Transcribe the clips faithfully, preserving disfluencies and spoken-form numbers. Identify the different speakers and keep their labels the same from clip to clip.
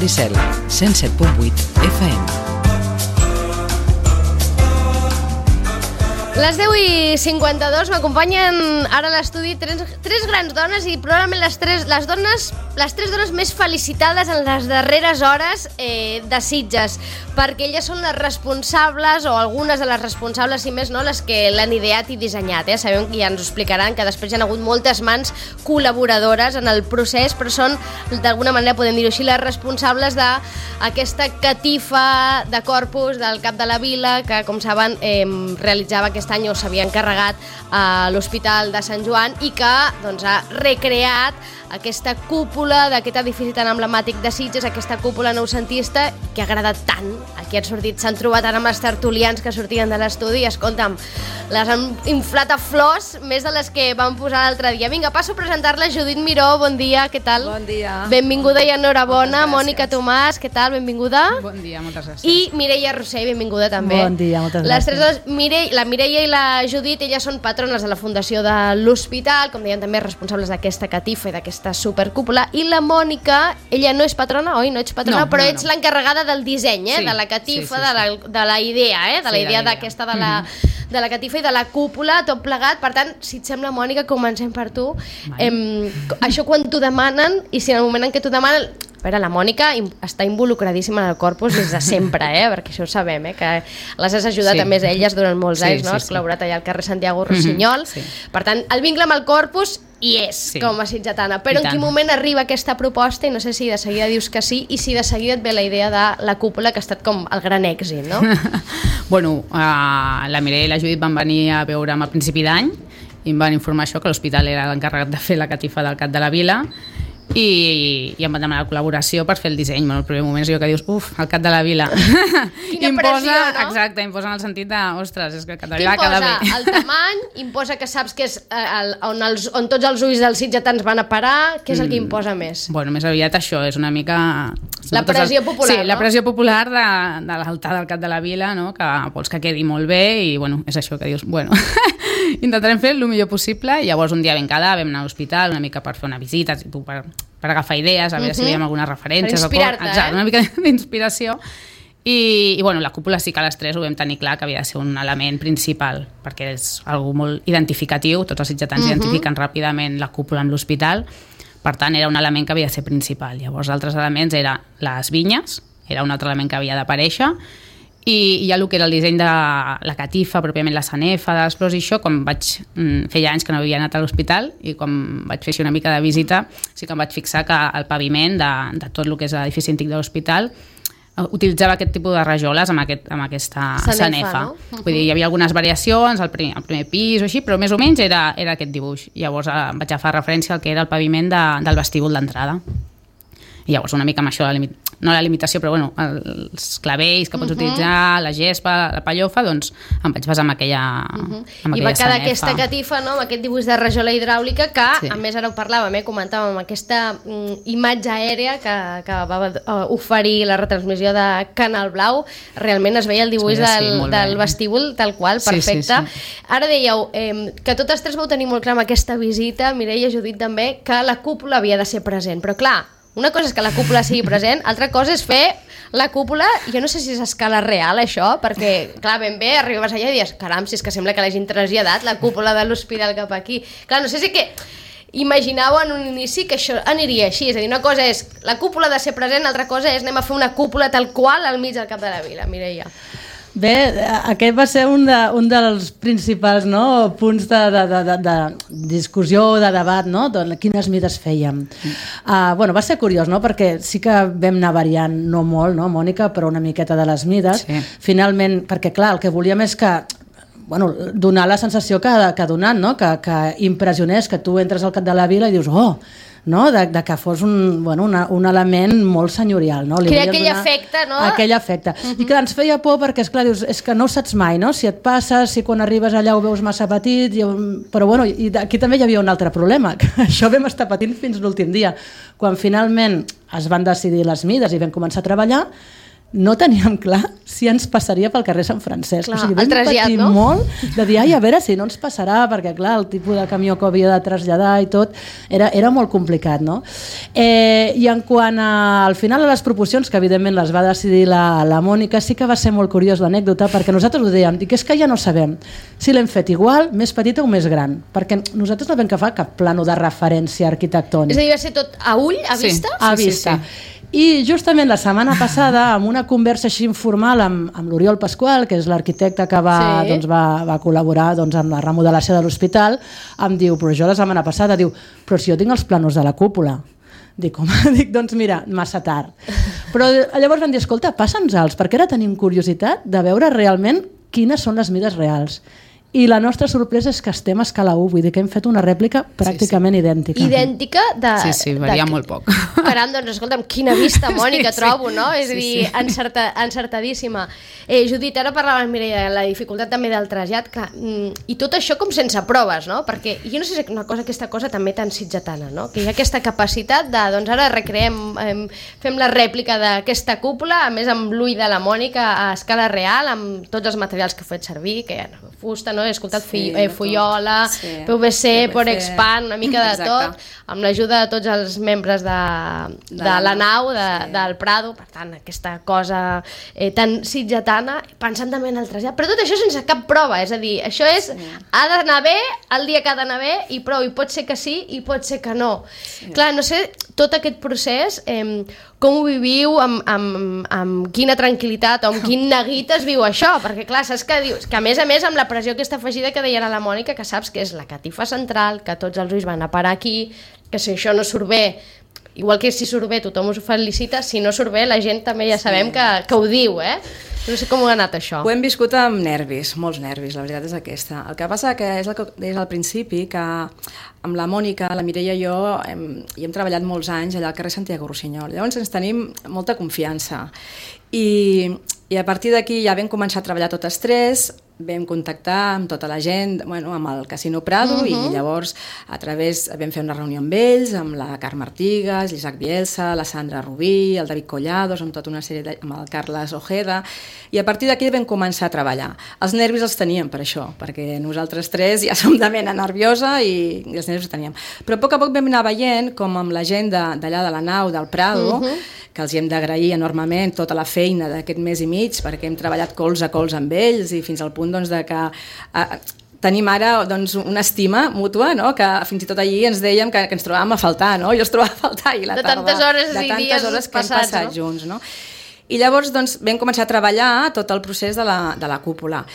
Speaker 1: Maricel, cent set punt vuit F M.
Speaker 2: Les deu i cinquanta-dos m'acompanyen ara a l'estudi tres, tres grans dones i probablement les tres, les dones, les tres dones més felicitades en les darreres hores eh, de Sitges, perquè elles són les responsables, o algunes de les responsables, si més no, les que l'han ideat i dissenyat. Eh? Sabem que ja ens ho explicaran, que després hi ha hagut moltes mans col·laboradores en el procés, però són, d'alguna manera, podem dir-ho així, les responsables d'aquesta catifa de corpus del Cap de la Vila, que, com saben, eh, realitzava aquesta any o s'havia encarregat a l'Hospital de Sant Joan i que doncs, ha recreat aquesta cúpula d'aquest edifici tan emblemàtic de Sitges, aquesta cúpula noucentista que ha agradat tant. Aquí han sortit, s'han trobat ara amb els tertulians que sortien de l'estudi i, escolta'm, les han inflat a flors, més de les que van posar l'altre dia. Vinga, passo a presentar-la. Judit Miró, bon dia, què tal?
Speaker 3: Bon dia.
Speaker 2: Benvinguda i enhorabona. Mònica Tomàs, què tal? Benvinguda.
Speaker 3: Bon dia, moltes gràcies.
Speaker 2: I Mireia Rossell, benvinguda també.
Speaker 4: Bon dia, moltes gràcies.
Speaker 2: Les tres dones, Mireia, la Mireia i la Judit, elles són patrones de la Fundació de l'Hospital, com deien també, responsables d'aquesta catifa i d'aquesta supercúpula, i la Mònica, ella no és patrona, oi? No ets patrona,
Speaker 3: no,
Speaker 2: però
Speaker 3: no,
Speaker 2: ets
Speaker 3: no.
Speaker 2: l'encarregada del disseny, eh?
Speaker 3: Sí,
Speaker 2: de la catifa,
Speaker 3: sí, sí, sí.
Speaker 2: De, la, de la idea, eh? de la
Speaker 3: Sí,
Speaker 2: idea
Speaker 3: de la
Speaker 2: d'aquesta de la, de la catifa i de la cúpula, tot plegat. Per tant, si et sembla, Mònica, comencem per tu. Em, això quan t'ho demanen, i si en el moment en què t'ho demanen... A veure, la Mònica està involucradíssima en el corpus des de sempre, eh? Perquè això ho sabem, eh? Que les has ajudat
Speaker 3: Sí.
Speaker 2: a més a elles durant molts
Speaker 3: Sí,
Speaker 2: anys, no?
Speaker 3: sí,
Speaker 2: Has
Speaker 3: sí.
Speaker 2: col·laborat allà al carrer Santiago Rossinyol.
Speaker 3: Mm-hmm, sí.
Speaker 2: Per tant, el vincle amb el corpus hi és,
Speaker 3: Sí.
Speaker 2: com a sitgetana. Però
Speaker 3: I
Speaker 2: en quin
Speaker 3: tant.
Speaker 2: moment arriba aquesta proposta, i no sé si de seguida dius que sí, i si de seguida et ve la idea de la cúpula, que ha estat com el gran èxit, no?
Speaker 3: Bueno, uh, la Mireia i la Judit van venir a veure'm a principi d'any i em van informar això, que l'hospital era l'encarregat de fer la catifa del Cap de la Vila, i, i em van demanar la col·laboració per fer el disseny. Bueno, el primer moment és allò que dius, uf, el Cap de la Vila.
Speaker 2: Quina
Speaker 3: imposa,
Speaker 2: pressió, no?
Speaker 3: Exacte, imposa en el sentit de, ostres, és que el Cap de la
Speaker 2: Què
Speaker 3: Vila queda
Speaker 2: imposa?
Speaker 3: bé.
Speaker 2: El tamany, imposa que saps que és eh, el, on, els, on tots els ulls dels sitgetans van a parar. Què és el que imposa més?
Speaker 3: Bueno, més aviat això, és una mica...
Speaker 2: La pressió popular,
Speaker 3: Sí,
Speaker 2: no?
Speaker 3: la pressió popular de, de l'altar del Cap de la Vila, no? Que vols que quedi molt bé i, bueno, és això que dius, bueno, intentarem fer el millor possible. I llavors un dia vam quedar, vam anar a l'hospital una mica per fer una visita, tu per, per agafar idees, a veure uh-huh. si veiem algunes referències.
Speaker 2: Per inspirar-te,
Speaker 3: Exacte,
Speaker 2: eh?
Speaker 3: una mica d'inspiració. I, i bueno, la cúpula sí que a les tres ho vam tenir clar que havia de ser un element principal, perquè és algo molt identificatiu, tots els sitgetans uh-huh. identifiquen ràpidament la cúpula amb l'hospital. Per tant, era un element que havia de ser principal. Llavors, altres elements eren les vinyes, era un altre element que havia d'aparèixer, i, i ja el que era el disseny de la catifa, pròpiament la sanefa, de les flors i això, quan vaig... Feia anys que no havia anat a l'hospital, i quan vaig fer així una mica de visita, sí que em vaig fixar que el paviment de, de tot el que és l'edifici antic de l'hospital utilitzava aquest tipus de rajoles amb, aquest, amb aquesta
Speaker 2: sanefa,
Speaker 3: sanefa.
Speaker 2: no? Uh-huh.
Speaker 3: Vull dir, hi havia algunes variacions al primer, al primer pis o així, però més o menys era, era aquest dibuix. Llavors eh, vaig agafar referència al que era el paviment de, del vestíbul d'entrada. I llavors una mica amb això, la limit... no la limitació, però bueno, els clavells que pots uh-huh. utilitzar, la gespa, la pallofa, doncs em vaig basar en aquella, uh-huh. amb
Speaker 2: I
Speaker 3: aquella
Speaker 2: va quedar
Speaker 3: sanefa.
Speaker 2: aquesta catifa, no?, amb aquest dibuix de rajola hidràulica que,
Speaker 3: Sí.
Speaker 2: a més, ara ho parlàvem, eh? comentàvem, aquesta mm, imatge aèria que, que va uh, oferir la retransmissió de Canal Blau. Realment es veia el dibuix
Speaker 3: Es veia,
Speaker 2: del,
Speaker 3: sí, molt
Speaker 2: del
Speaker 3: bé.
Speaker 2: vestíbul tal qual,
Speaker 3: Sí,
Speaker 2: perfecte.
Speaker 3: sí, sí.
Speaker 2: Ara dèieu eh, que totes tres vau tenir molt clar amb aquesta visita, Mireia, Judit també, que la cúpula havia de ser present, però clar, una cosa és que la cúpula sigui present, altra cosa és fer la cúpula, jo no sé si és a escala real això, perquè, clar, ben bé, arribes allà i dius, caram, si és que sembla que l'hagin traslladat la cúpula de l'hospital cap aquí. Clar, no sé si que imaginàveu en un inici que això aniria així, és a dir, una cosa és la cúpula ha de ser present, l'altra cosa és anem a fer una cúpula tal qual al mig del Cap de la Vila, Mireia.
Speaker 4: Bé, aquest va ser un, de, un dels principals, no, punts de, de, de, de, de discussió, de debat, no? De quines mides fèiem. Mm. Uh, bueno, va ser curiós, no? Perquè sí que vam anar variant, no molt, no, Mònica, però una miqueta de les mides.
Speaker 3: Sí.
Speaker 4: Finalment, perquè clar, el que volíem és que bueno, donar la sensació que, que ha donat, no? que, que impressionés, que tu entres al Cap de la Vila i dius, oh, no? de, de que fos un, bueno, una, un element molt senyorial. No?
Speaker 2: Crea aquell efecte, no?
Speaker 4: Aquell efecte. Uh-huh. I clar, ens feia por perquè, esclar, dius, és que no ho saps mai, no? Si et passa, si quan arribes allà ho veus massa petit, i, però bueno, i aquí també hi havia un altre problema, que això vam estar patint fins l'últim dia. Quan finalment es van decidir les mides i vam començar a treballar, no teníem clar si ens passaria pel carrer Sant Francesc.
Speaker 2: Clar,
Speaker 4: o sigui, vam
Speaker 2: el trasllat,
Speaker 4: patir
Speaker 2: no?
Speaker 4: molt de dir, ai, a veure si no ens passarà, perquè clar, el tipus de camió que havia de traslladar i tot, era, era molt complicat, no? Eh, I en quant a, al final a les proporcions, que evidentment les va decidir la, la Mònica, sí que va ser molt curiós l'anècdota, perquè nosaltres ho dèiem, dic, és que ja no sabem si l'hem fet igual, més petita o més gran, perquè nosaltres no vam agafar cap plano de referència arquitectònic.
Speaker 2: És a dir, va ser tot a ull, a
Speaker 3: Sí.
Speaker 2: vista?
Speaker 4: A
Speaker 3: Sí, sí,
Speaker 4: vista.
Speaker 3: sí.
Speaker 4: I justament la setmana passada, amb una conversa així informal amb, amb l'Oriol Pasqual, que és l'arquitecte que va,
Speaker 2: Sí.
Speaker 4: doncs, va, va col·laborar doncs, amb la remodelació de l'hospital, em diu, però jo la setmana passada, diu, però si jo tinc els planos de la cúpula. Dic, home, dic, doncs mira, massa tard. Però llavors van dir, escolta, passa'ns-els, perquè ara tenim curiositat de veure realment quines són les mides reals. I la nostra sorpresa és que estem a escala u, vull dir que hem fet una rèplica pràcticament sí, sí. idèntica.
Speaker 2: Idèntica de...
Speaker 3: Sí, sí, varia
Speaker 2: de...
Speaker 3: molt poc.
Speaker 2: Caram, doncs escolta'm, quina vista, Mònica,
Speaker 3: Sí, sí.
Speaker 2: trobo, no? És a
Speaker 3: Sí,
Speaker 2: dir,
Speaker 3: sí.
Speaker 2: encerta, encertadíssima. Eh, Judit, ara parlava amb Mireia de la dificultat també del trasllat, clar, mm, i tot això com sense proves, no? Perquè jo no sé si és una cosa, aquesta cosa també tan sitgetana, no? Que hi ha aquesta capacitat de, doncs ara recreem, eh, fem la rèplica d'aquesta cúpula, a més amb l'ull de la Mònica a escala real, amb tots els materials que he fet servir, que hi ha fusta, no? He escoltat
Speaker 5: Sí,
Speaker 2: fi, eh, Fullola,
Speaker 5: sí.
Speaker 2: P V C,
Speaker 5: P V C.
Speaker 2: Porexpan, una mica de
Speaker 5: Exacte.
Speaker 2: tot, amb l'ajuda de tots els membres de, de,
Speaker 5: De la
Speaker 2: la nau,
Speaker 5: nau,
Speaker 2: de,
Speaker 5: sí.
Speaker 2: del Prado, per tant, aquesta cosa eh, tan sitgetana, pensant també en el trasllat, però tot això sense cap prova, és a dir, això és, sí. ha d'anar bé el dia que ha d'anar bé i prou, i pot ser que sí i pot ser que no. Sí. Clar, no sé, tot aquest procés, eh, com ho viviu, amb, amb, amb quina tranquil·litat o amb quin neguit es viu això, perquè clar, saps que dius, que a més a més amb la pressió aquesta afegida que deia la Mònica, que saps que és la catifa central, que tots els ulls van a parar aquí, que si això no surt bé, igual que si surt bé tothom us ho felicita, si no surt bé la gent també ja sabem que, que ho diu, eh? No sé com ho ha anat això.
Speaker 5: Ho hem viscut amb nervis, molts nervis, la veritat és aquesta. El que passa que és el que deies al principi, que amb la Mònica, la Mireia i jo hem, hi hem treballat molts anys allà al carrer Santiago Rossinyol. Llavors ens tenim molta confiança. I, i a partir d'aquí ja vam començar a treballar totes tres, vam contactar amb tota la gent, bueno, amb el Casino Prado, uh -huh. i llavors a través vam fer una reunió amb ells, amb la Carme Artigas, l'Isaac Bielsa, la Sandra Rubí, el David Collados, amb tota una sèrie de, amb el Carles Ojeda, i a partir d'aquí vam començar a treballar. Els nervis els teníem per això, perquè nosaltres tres ja som de mena nerviosa i, i els nervis els teníem. Però a poc a poc vam anar veient com amb la gent d'allà de, de la nau, del Prado, uh -huh. que els hi hem d'agrair enormement tota la feina d'aquest mes i mig, perquè hem treballat cols a cols amb ells i fins al punt doncs, de que a, tenim ara doncs, una estima mútua, no? Que fins i tot allí ens dèiem que, que ens trobàvem a faltar, no? Jo es trobava a faltar i la
Speaker 2: de
Speaker 5: tarda...
Speaker 2: tantes hores
Speaker 5: de
Speaker 2: i
Speaker 5: tantes
Speaker 2: dies
Speaker 5: hores que
Speaker 2: passats,
Speaker 5: hem passat
Speaker 2: no?
Speaker 5: junts, no? I llavors doncs, vam començar a treballar tot el procés de la, de la cúpula.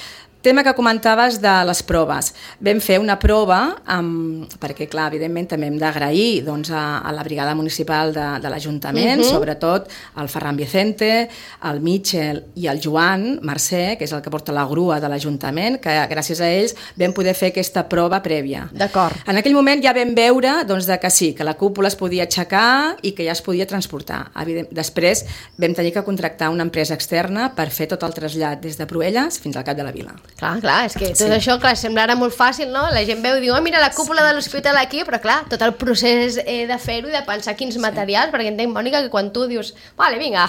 Speaker 5: Tema que comentaves de les proves. Vam fer una prova, amb, perquè clar, evidentment també hem d'agrair doncs, a, a la brigada municipal de, de l'Ajuntament, uh -huh. sobretot el Ferran Vicente, el Mitchell i el Joan Mercè, que és el que porta la grua de l'Ajuntament, que gràcies a ells vam poder fer aquesta prova prèvia.
Speaker 2: D'acord.
Speaker 5: En aquell moment ja vam veure doncs, de que sí, que la cúpula es podia aixecar i que ja es podia transportar. Evident, després vam tenir que contractar una empresa externa per fer tot el trasllat des de Proelles fins al Cap de la Vila.
Speaker 2: Clar, clar, és que tot
Speaker 5: Sí.
Speaker 2: això, clar, sembla ara molt fàcil, no? La gent veu i diu, oh, mira la cúpula de l'hospital aquí, però clar, tot el procés eh, de fer-ho i de pensar quins sí. materials, perquè entenc, Mònica, que quan tu dius, vale, vinga,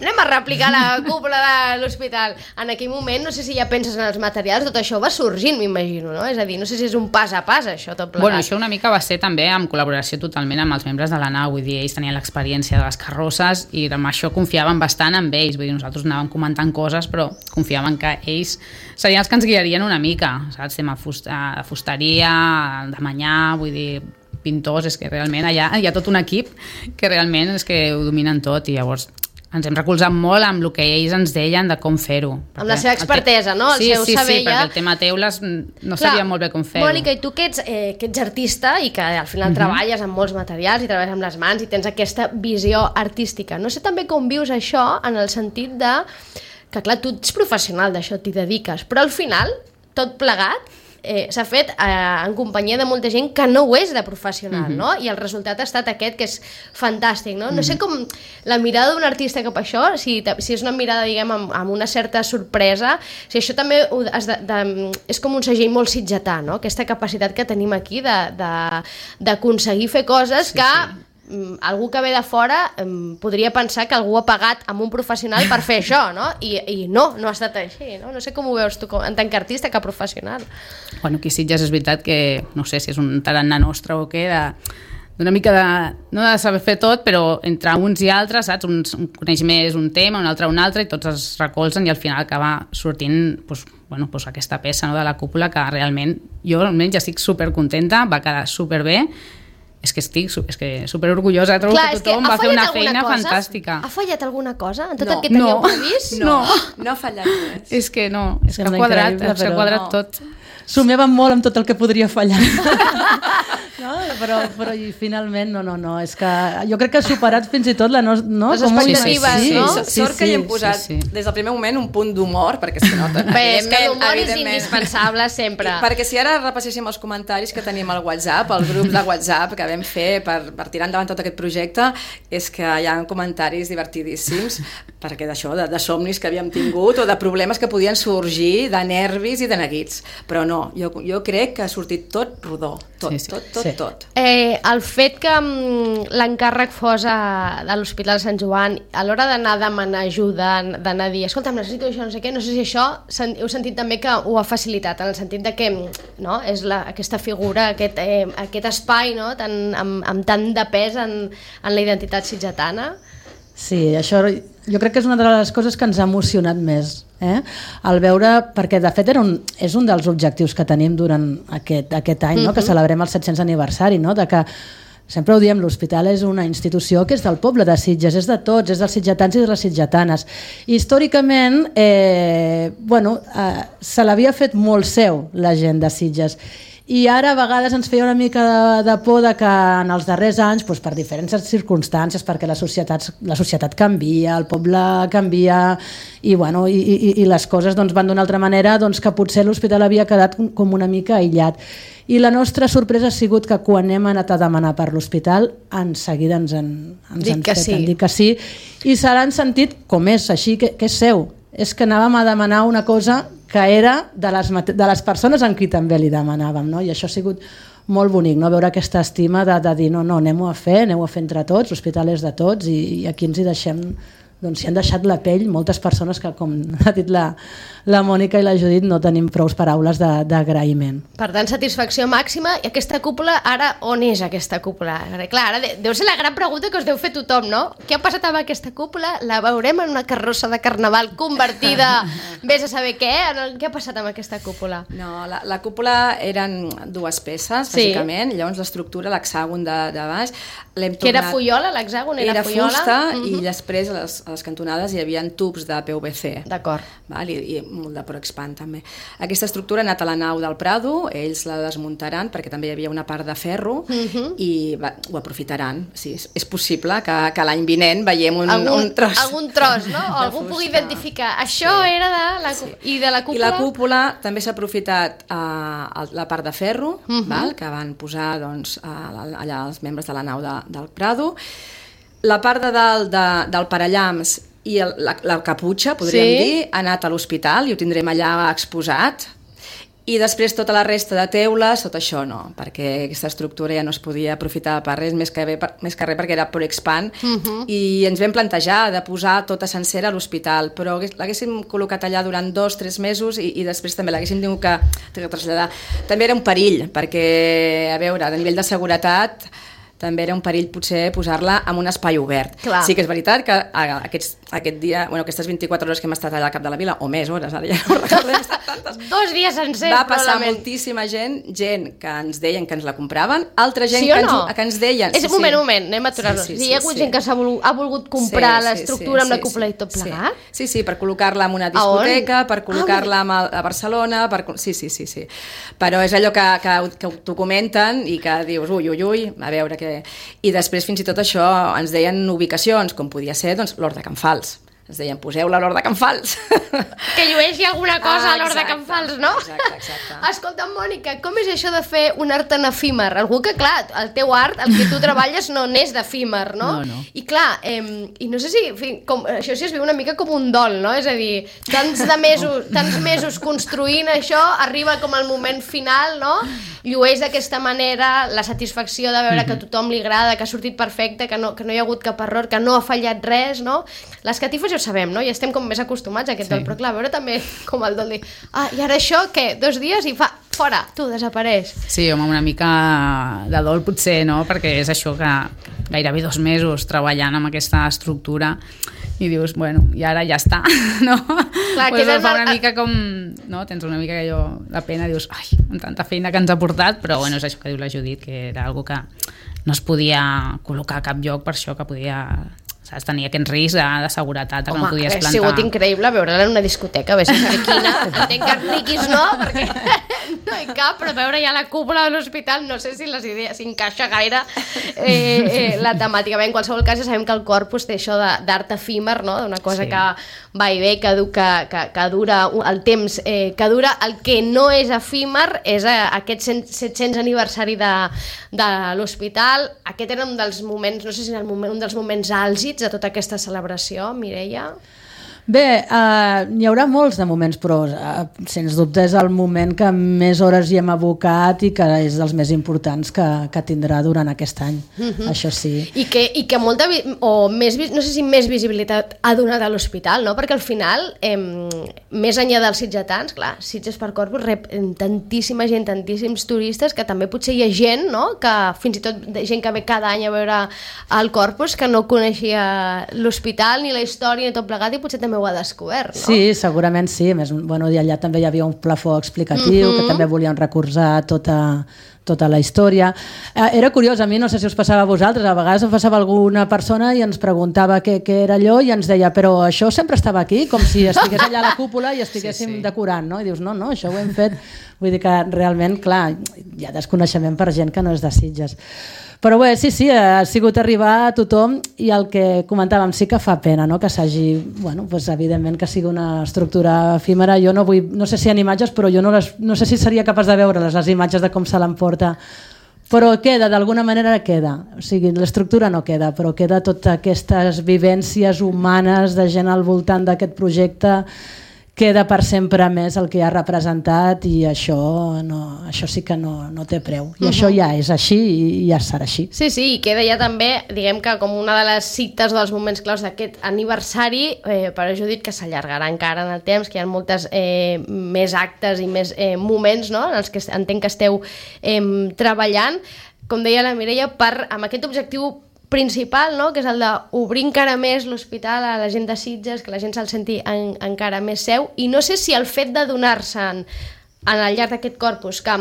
Speaker 2: anem a replicar la cúpula de l'hospital, en aquell moment, no sé si ja penses en els materials, tot això va sorgint, m'imagino, no? És a dir, no sé si és un pas a pas, això, tot plegat.
Speaker 3: Bueno, això una mica va ser també en col·laboració totalment amb els membres de la nau, vull dir, ells tenien l'experiència de les carrosses i amb això confiaven bastant en ells, vull dir, nosaltres anàvem comentant coses, però confiaven que ells serien els que ens guiarien una mica, saps? Tema fusta, de fusteria, de manyà, vull dir, pintors, és que realment allà hi ha tot un equip que realment és que ho dominen tot i llavors ens hem recolzat molt amb el que ells ens deien de com fer-ho.
Speaker 2: Amb la seva expertesa, no? El
Speaker 3: sí,
Speaker 2: seu
Speaker 3: sí,
Speaker 2: saber
Speaker 3: sí,
Speaker 2: ja.
Speaker 3: perquè el tema teules no
Speaker 2: Clar,
Speaker 3: sabia molt bé com fer-ho.
Speaker 2: Mònica, i tu que ets, eh, que ets artista i que al final uh -huh. treballes amb molts materials i treballes amb les mans i tens aquesta visió artística, no sé també com vius això en el sentit de que clar, tu ets professional d'això, t'hi dediques, però al final, tot plegat, eh, s'ha fet eh, en companyia de molta gent que no ho és de professional, uh-huh. no? I el resultat ha estat aquest, que és fantàstic, no? Uh-huh. No sé com la mirada d'un artista cap a això, si, si és una mirada, diguem, amb, amb una certa sorpresa, si això també ho, has de, de, és com un segell molt sitgetà, no? Aquesta capacitat que tenim aquí d'aconseguir fer coses
Speaker 3: sí,
Speaker 2: que...
Speaker 3: Sí.
Speaker 2: algú que ve de fora podria pensar que algú ha pagat amb un professional per fer això, no? I, i no, no ha estat així, no? No sé com ho veus tu en tant que artista que professional.
Speaker 3: Bueno, aquí Sitges és veritat que, no sé si és un tarannà nostre o què, de d'una mica de, no de saber fer tot, però entre uns i altres, saps? Un, un coneix més un tema, un altre un altre, i tots es recolzen i al final acaba sortint doncs, bueno, doncs aquesta peça, no, de la cúpula, que realment jo almenys estic supercontenta, va quedar superbé. És que estic és que super orgullosa, trobo
Speaker 2: Clar,
Speaker 3: que tothom va fer una feina
Speaker 2: cosa?
Speaker 3: fantàstica.
Speaker 2: Ha fallat alguna cosa en tot
Speaker 5: No.
Speaker 2: el que teníeu
Speaker 3: No.
Speaker 2: previst?
Speaker 5: No, no ha fallat res.
Speaker 3: És que no, és que ha
Speaker 4: Sembla
Speaker 3: quadrat,
Speaker 4: increïble,
Speaker 3: s'ha
Speaker 4: però
Speaker 3: quadrat
Speaker 5: no.
Speaker 3: tot.
Speaker 4: Somiàvem molt amb tot el que podria fallar. No? Però, però i finalment, no, no, no, és que jo crec que ha superat fins i tot la no, no?
Speaker 2: Les
Speaker 4: com ho-
Speaker 2: expectatives,
Speaker 5: Sí,
Speaker 2: no?
Speaker 5: so- sort que hi hem posat
Speaker 3: sí, sí.
Speaker 5: des del primer moment un punt d'humor, perquè si no...
Speaker 2: Bé, és que
Speaker 5: evidentment,
Speaker 2: l'humor és
Speaker 5: evidentment.
Speaker 2: indispensable sempre.
Speaker 5: Perquè si ara repasséssim els comentaris que tenim al WhatsApp, el grup de WhatsApp que vam fer per, per tirar endavant tot aquest projecte, és que hi ha comentaris divertidíssims, perquè d'això, de, de somnis que havíem tingut o de problemes que podien sorgir, de nervis i de neguits. Però no, jo, jo crec que ha sortit tot rodó, tot,
Speaker 3: Sí, sí.
Speaker 5: tot, tot,
Speaker 4: Sí.
Speaker 5: tot.
Speaker 2: Eh, el fet que mm, l'encàrrec fos a, de l'Hospital Sant Joan, a l'hora d'anar a demanar ajuda, d'anar a dir, escolta'm, necessito això, no sé què, no sé si això sen, heu sentit també que ho ha facilitat, en el sentit de que no, és la, aquesta figura, aquest, eh, aquest espai, no, tan, amb, amb tant de pes en, en la identitat sitgetana.
Speaker 4: Sí, això jo crec que és una de les coses que ens ha emocionat més, eh? El veure, perquè de fet era un, és un dels objectius que tenim durant aquest, aquest any, no? Uh-huh. Que celebrem el set-cents aniversari, no? De que sempre ho diem, l'hospital és una institució que és del poble de Sitges, és de tots, és dels sitgetans i de les sitgetanes. I històricament, eh, bueno, eh, se l'havia fet molt seu la gent de Sitges. I ara a vegades ens feia una mica de, de por de que en els darrers anys, doncs, per diferents circumstàncies, perquè la societat, la societat canvia, el poble canvia i, bueno, i, i, i les coses doncs, van d'una altra manera, doncs, que potser l'hospital havia quedat com una mica aïllat. I la nostra sorpresa ha sigut que quan hem anat a demanar per l'hospital, en seguida ens han, ens
Speaker 2: Dic
Speaker 4: han
Speaker 2: que
Speaker 4: fet
Speaker 2: sí.
Speaker 4: han dit que sí, i se l'han sentit com és, així que, que és seu. És que anàvem a demanar una cosa que era de les, de les persones en qui també li demanàvem, no? I això ha sigut molt bonic, no? Veure aquesta estima de, de dir no, no, anem-ho a fer, anem-ho a fer entre tots, l'hospital és de tots i, i aquí ens hi deixem, doncs s'hi han deixat la pell moltes persones que, com ha dit la, la Mònica i la Judit, no tenim prou paraules d'agraïment.
Speaker 2: Per tant, satisfacció màxima. I aquesta cúpula, ara, on és aquesta cúpula? Clar, ara de- deu ser la gran pregunta que us deu fer tothom, no? Què ha passat amb aquesta cúpula? La veurem en una carrossa de carnaval convertida, vés a saber què? Què ha passat amb aquesta cúpula?
Speaker 5: No, la, la cúpula eren dues peces,
Speaker 2: Sí.
Speaker 5: bàsicament, llavors l'estructura, l'hexàgon de, de baix, l'hem
Speaker 2: Que era
Speaker 5: tornat...
Speaker 2: fuiola, l'hexàgon era,
Speaker 5: Era
Speaker 2: fuiola?
Speaker 5: fusta
Speaker 2: Mhm.
Speaker 5: i després a les, a les cantonades hi havia tubs de P V C.
Speaker 2: D'acord.
Speaker 5: Val? I, i molt de Proexpan també. Aquesta estructura ha anat a la nau del Prado, ells la desmuntaran perquè també hi havia una part de ferro
Speaker 2: Mhm.
Speaker 5: i va, ho aprofitaran. Sí, és, és possible que, que l'any vinent veiem un,
Speaker 2: algun,
Speaker 5: un tros.
Speaker 2: algun tros, no? O
Speaker 5: de
Speaker 2: algú pugui
Speaker 5: fusta.
Speaker 2: identificar. Això
Speaker 5: Sí.
Speaker 2: era de la,
Speaker 5: Sí.
Speaker 2: i de la cúpula?
Speaker 5: I la cúpula també s'ha aprofitat eh, la part de ferro,
Speaker 2: Mhm.
Speaker 5: val? Que van posar doncs, allà els membres de la nau de, del Prado. La part de dalt de, del parallamps i el, la, la caputxa, podríem
Speaker 2: Sí.
Speaker 5: dir, ha anat a l'hospital i ho tindrem allà exposat. I després tota la resta de teules, tot això no, perquè aquesta estructura ja no es podia aprofitar per res, més que, bé, per, més que res perquè era Proexpan,
Speaker 2: Mhm.
Speaker 5: i ens vam plantejar de posar tota sencera a l'hospital, però hagués- l'haguéssim col·locat allà durant dos, tres mesos i, i després també l'haguéssim tingut que, que traslladar. També era un perill, perquè, a veure, a nivell de seguretat, també era un perill potser posar-la en un espai obert.
Speaker 2: Clar.
Speaker 5: Sí que és veritat que a- aquests, aquest dia, bueno, aquestes vint-i-quatre hores que hem estat allà al cap de la vila, o més hores, ara ja no recordo, hem estat tantes.
Speaker 2: Dos dies sencers,
Speaker 5: Va passar
Speaker 2: probablement.
Speaker 5: moltíssima gent, gent que ens deien que ens la compraven, altra gent
Speaker 2: Sí o
Speaker 5: que,
Speaker 2: no?
Speaker 5: ens, que ens deien...
Speaker 2: És un moment, un moment, anem a aturar-nos.
Speaker 5: Sí,
Speaker 2: Sí,
Speaker 5: sí,
Speaker 2: sí, hi ha
Speaker 5: sí,
Speaker 2: hagut
Speaker 5: sí.
Speaker 2: gent que s'ha volgut, ha volgut comprar
Speaker 5: Sí, sí,
Speaker 2: l'estructura
Speaker 5: sí,
Speaker 2: amb la
Speaker 5: sí,
Speaker 2: cúpula
Speaker 5: sí,
Speaker 2: i tot
Speaker 5: sí.
Speaker 2: plegat?
Speaker 5: Sí, sí, per col·locar-la en una
Speaker 2: A on?
Speaker 5: discoteca, per col·locar-la amb el- a Barcelona, per... sí, sí, sí, sí. Però és allò que, que, que t'ho comenten i que dius, ui, ui, ui, a veure què... I després fins i tot això ens deien ubicacions, com podia ser doncs, l'Hort de Can Fals. Ens deien, poseu-la a l'Hort de Can Fals.
Speaker 2: Que llueixi alguna cosa
Speaker 5: Ah,
Speaker 2: a l'hora de
Speaker 5: exacte,
Speaker 2: Can Fals, no?
Speaker 5: exacte, exacte.
Speaker 2: Escolta, Mònica, com és això de fer un art en efímer? Algú que, clar, el teu art, el que tu treballes, no n'és d'efímer, no?
Speaker 3: No, no.
Speaker 2: I clar, eh, i no sé si, en fi, com, això sí es viu una mica com un dol, no? És a dir, tants de mesos, tants mesos construint això, arriba com el moment final, no? llueix d'aquesta manera, la satisfacció de veure mm-hmm. que a tothom li agrada, que ha sortit perfecte, que no, que no hi ha hagut cap error, que no ha fallat res, no? Les catifes ja ho sabem, no? Ja estem com més acostumats a aquest sí. dol, però clar, veure també com el dol dir, ah, i ara això, què? Dos dies i fa... fora, tu, desapareix.
Speaker 3: Sí, home, una mica de dol potser, no? Perquè és això que gairebé dos mesos treballant amb aquesta estructura i dius, bueno, i ara ja està, no? Clar, pues que fa una el... mica com... No? Tens una mica allò, la pena, dius, ai, amb tanta feina que ens ha portat, però bueno, és això que diu la Judit, que era algo que no es podia col·locar a cap lloc per això que podia... Saps? Tenia aquest risc de, de seguretat que
Speaker 2: Home,
Speaker 3: no podies plantar.
Speaker 2: Home, ha sigut increïble veure-la en una discoteca, a veure si quina, entenc que riquis no, perquè no hi cap, però veure ja la cúpula de l'hospital, no sé si les idees s'encaixa gaire eh, eh, la temàtica. Bé, en qualsevol cas ja sabem que el corpus té això d'art efímer, no? D'una cosa sí. que va i ve, que, que, que, que dura el temps, eh, que dura el que no és efímer, és eh, aquest set-cents aniversari de, de l'hospital. Aquest era un dels moments, no sé si era el moment, un dels moments àlgids de tota aquesta celebració, Mireia?
Speaker 4: Bé, uh, n'hi haurà molts de moments, però uh, sens dubte és el moment que més hores hi hem abocat i que és dels més importants que, que tindrà durant aquest any, uh-huh. això sí.
Speaker 2: I que, i que molta, o més, no sé si més visibilitat ha donat a l'hospital, no? Perquè al final, eh, més enllà dels sitgetans, clar, Sitges per Corpus rep tantíssima gent, tantíssims turistes, que també potser hi ha gent, no? Que fins i tot gent que ve cada any a veure el Corpus, que no coneixia l'hospital, ni la història, ni tot plegat, i potser també ho ha descobert, no?
Speaker 4: Sí, segurament sí. A més, bueno, i allà també hi havia un plafó explicatiu, mm-hmm. que també volien recolzar tota, tota la història. Eh, era curiós, a mi no sé si us passava a vosaltres, a vegades em passava alguna persona i ens preguntava què, què era allò i ens deia, però això sempre estava aquí, com si estigués allà a la cúpula i estiguéssim sí, sí. decorant, no? I dius, no, no, això ho hem fet. Vull dir que realment, clar, hi ha desconeixement per gent que no és de Sitges. Però bé, sí, sí, ha sigut arribar a tothom i el que comentàvem sí que fa pena, no? Que s'hagi, bueno, pues, evidentment que sigui una estructura efímera. Jo no vull, no sé si hi ha imatges, però jo no, les, no sé si seria capaç de veure-les, les imatges de com se l'emporta. Però queda, d'alguna manera queda. O sigui, l'estructura no queda, però queda totes aquestes vivències humanes de gent al voltant d'aquest projecte, queda per sempre més el que ha representat i això, no, això sí que no, no té preu. I uh-huh. això ja és així i ja serà així.
Speaker 2: Sí, sí, i queda ja també, diguem que com una de les cites dels moments claus d'aquest aniversari, eh, per a Judit, que s'allargarà encara en el temps, que hi ha moltes eh, més actes i més eh, moments, no?, en els que entenc que esteu eh, treballant, com deia la Mireia, per, amb aquest objectiu principal, no? Que és el d'obrir encara més l'hospital a la gent de Sitges, que la gent se'l senti en, encara més seu, i no sé si el fet de donar-se'n al llarg d'aquest corpus, que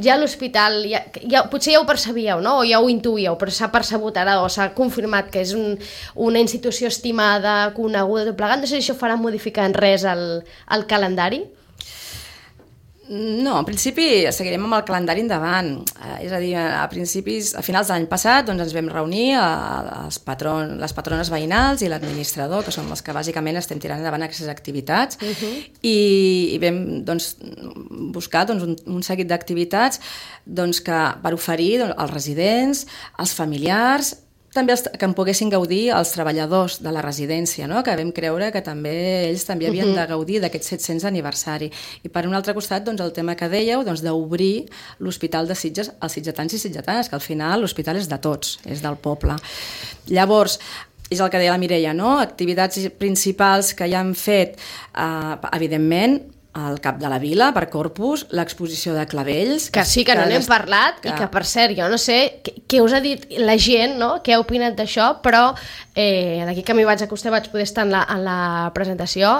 Speaker 2: ja l'hospital, ja, ja, potser ja ho percebíeu, no? O ja ho intuïeu, però s'ha percebut ara o s'ha confirmat que és un, una institució estimada, coneguda, tot plegat, no sé si això farà modificar en res el, el calendari?
Speaker 5: No, en principi seguirem amb el calendari endavant. Eh, és a dir, a principis, a finals de l'any passat doncs ens vam reunir a, a els patron, les patrones veïnals i l'administrador, que són els que bàsicament estem tirant endavant aquestes activitats, uh-huh. i, i vam doncs, buscar doncs, un, un seguit d'activitats doncs, que, per oferir doncs, als residents, als familiars, també els, que en poguessin gaudir els treballadors de la residència, no? Que vam creure que també ells també havien uh-huh. de gaudir d'aquest set-cents aniversari. I per un altre costat, doncs, el tema que dèieu, doncs, d'obrir l'Hospital de Sitges als sitgetans i sitgetanes, que al final l'hospital és de tots, és del poble. Llavors, és el que deia la Mireia, no? Activitats principals que ja han fet, eh, evidentment, al cap de la vila, per Corpus, l'exposició de clavells...
Speaker 2: Que sí, que no n'hem parlat, que... i que, per cert, jo no sé què, què us ha dit la gent, no? Què ha opinat d'això, però eh, d'aquí que m'hi vaig acostar vaig poder estar en la, en la presentació.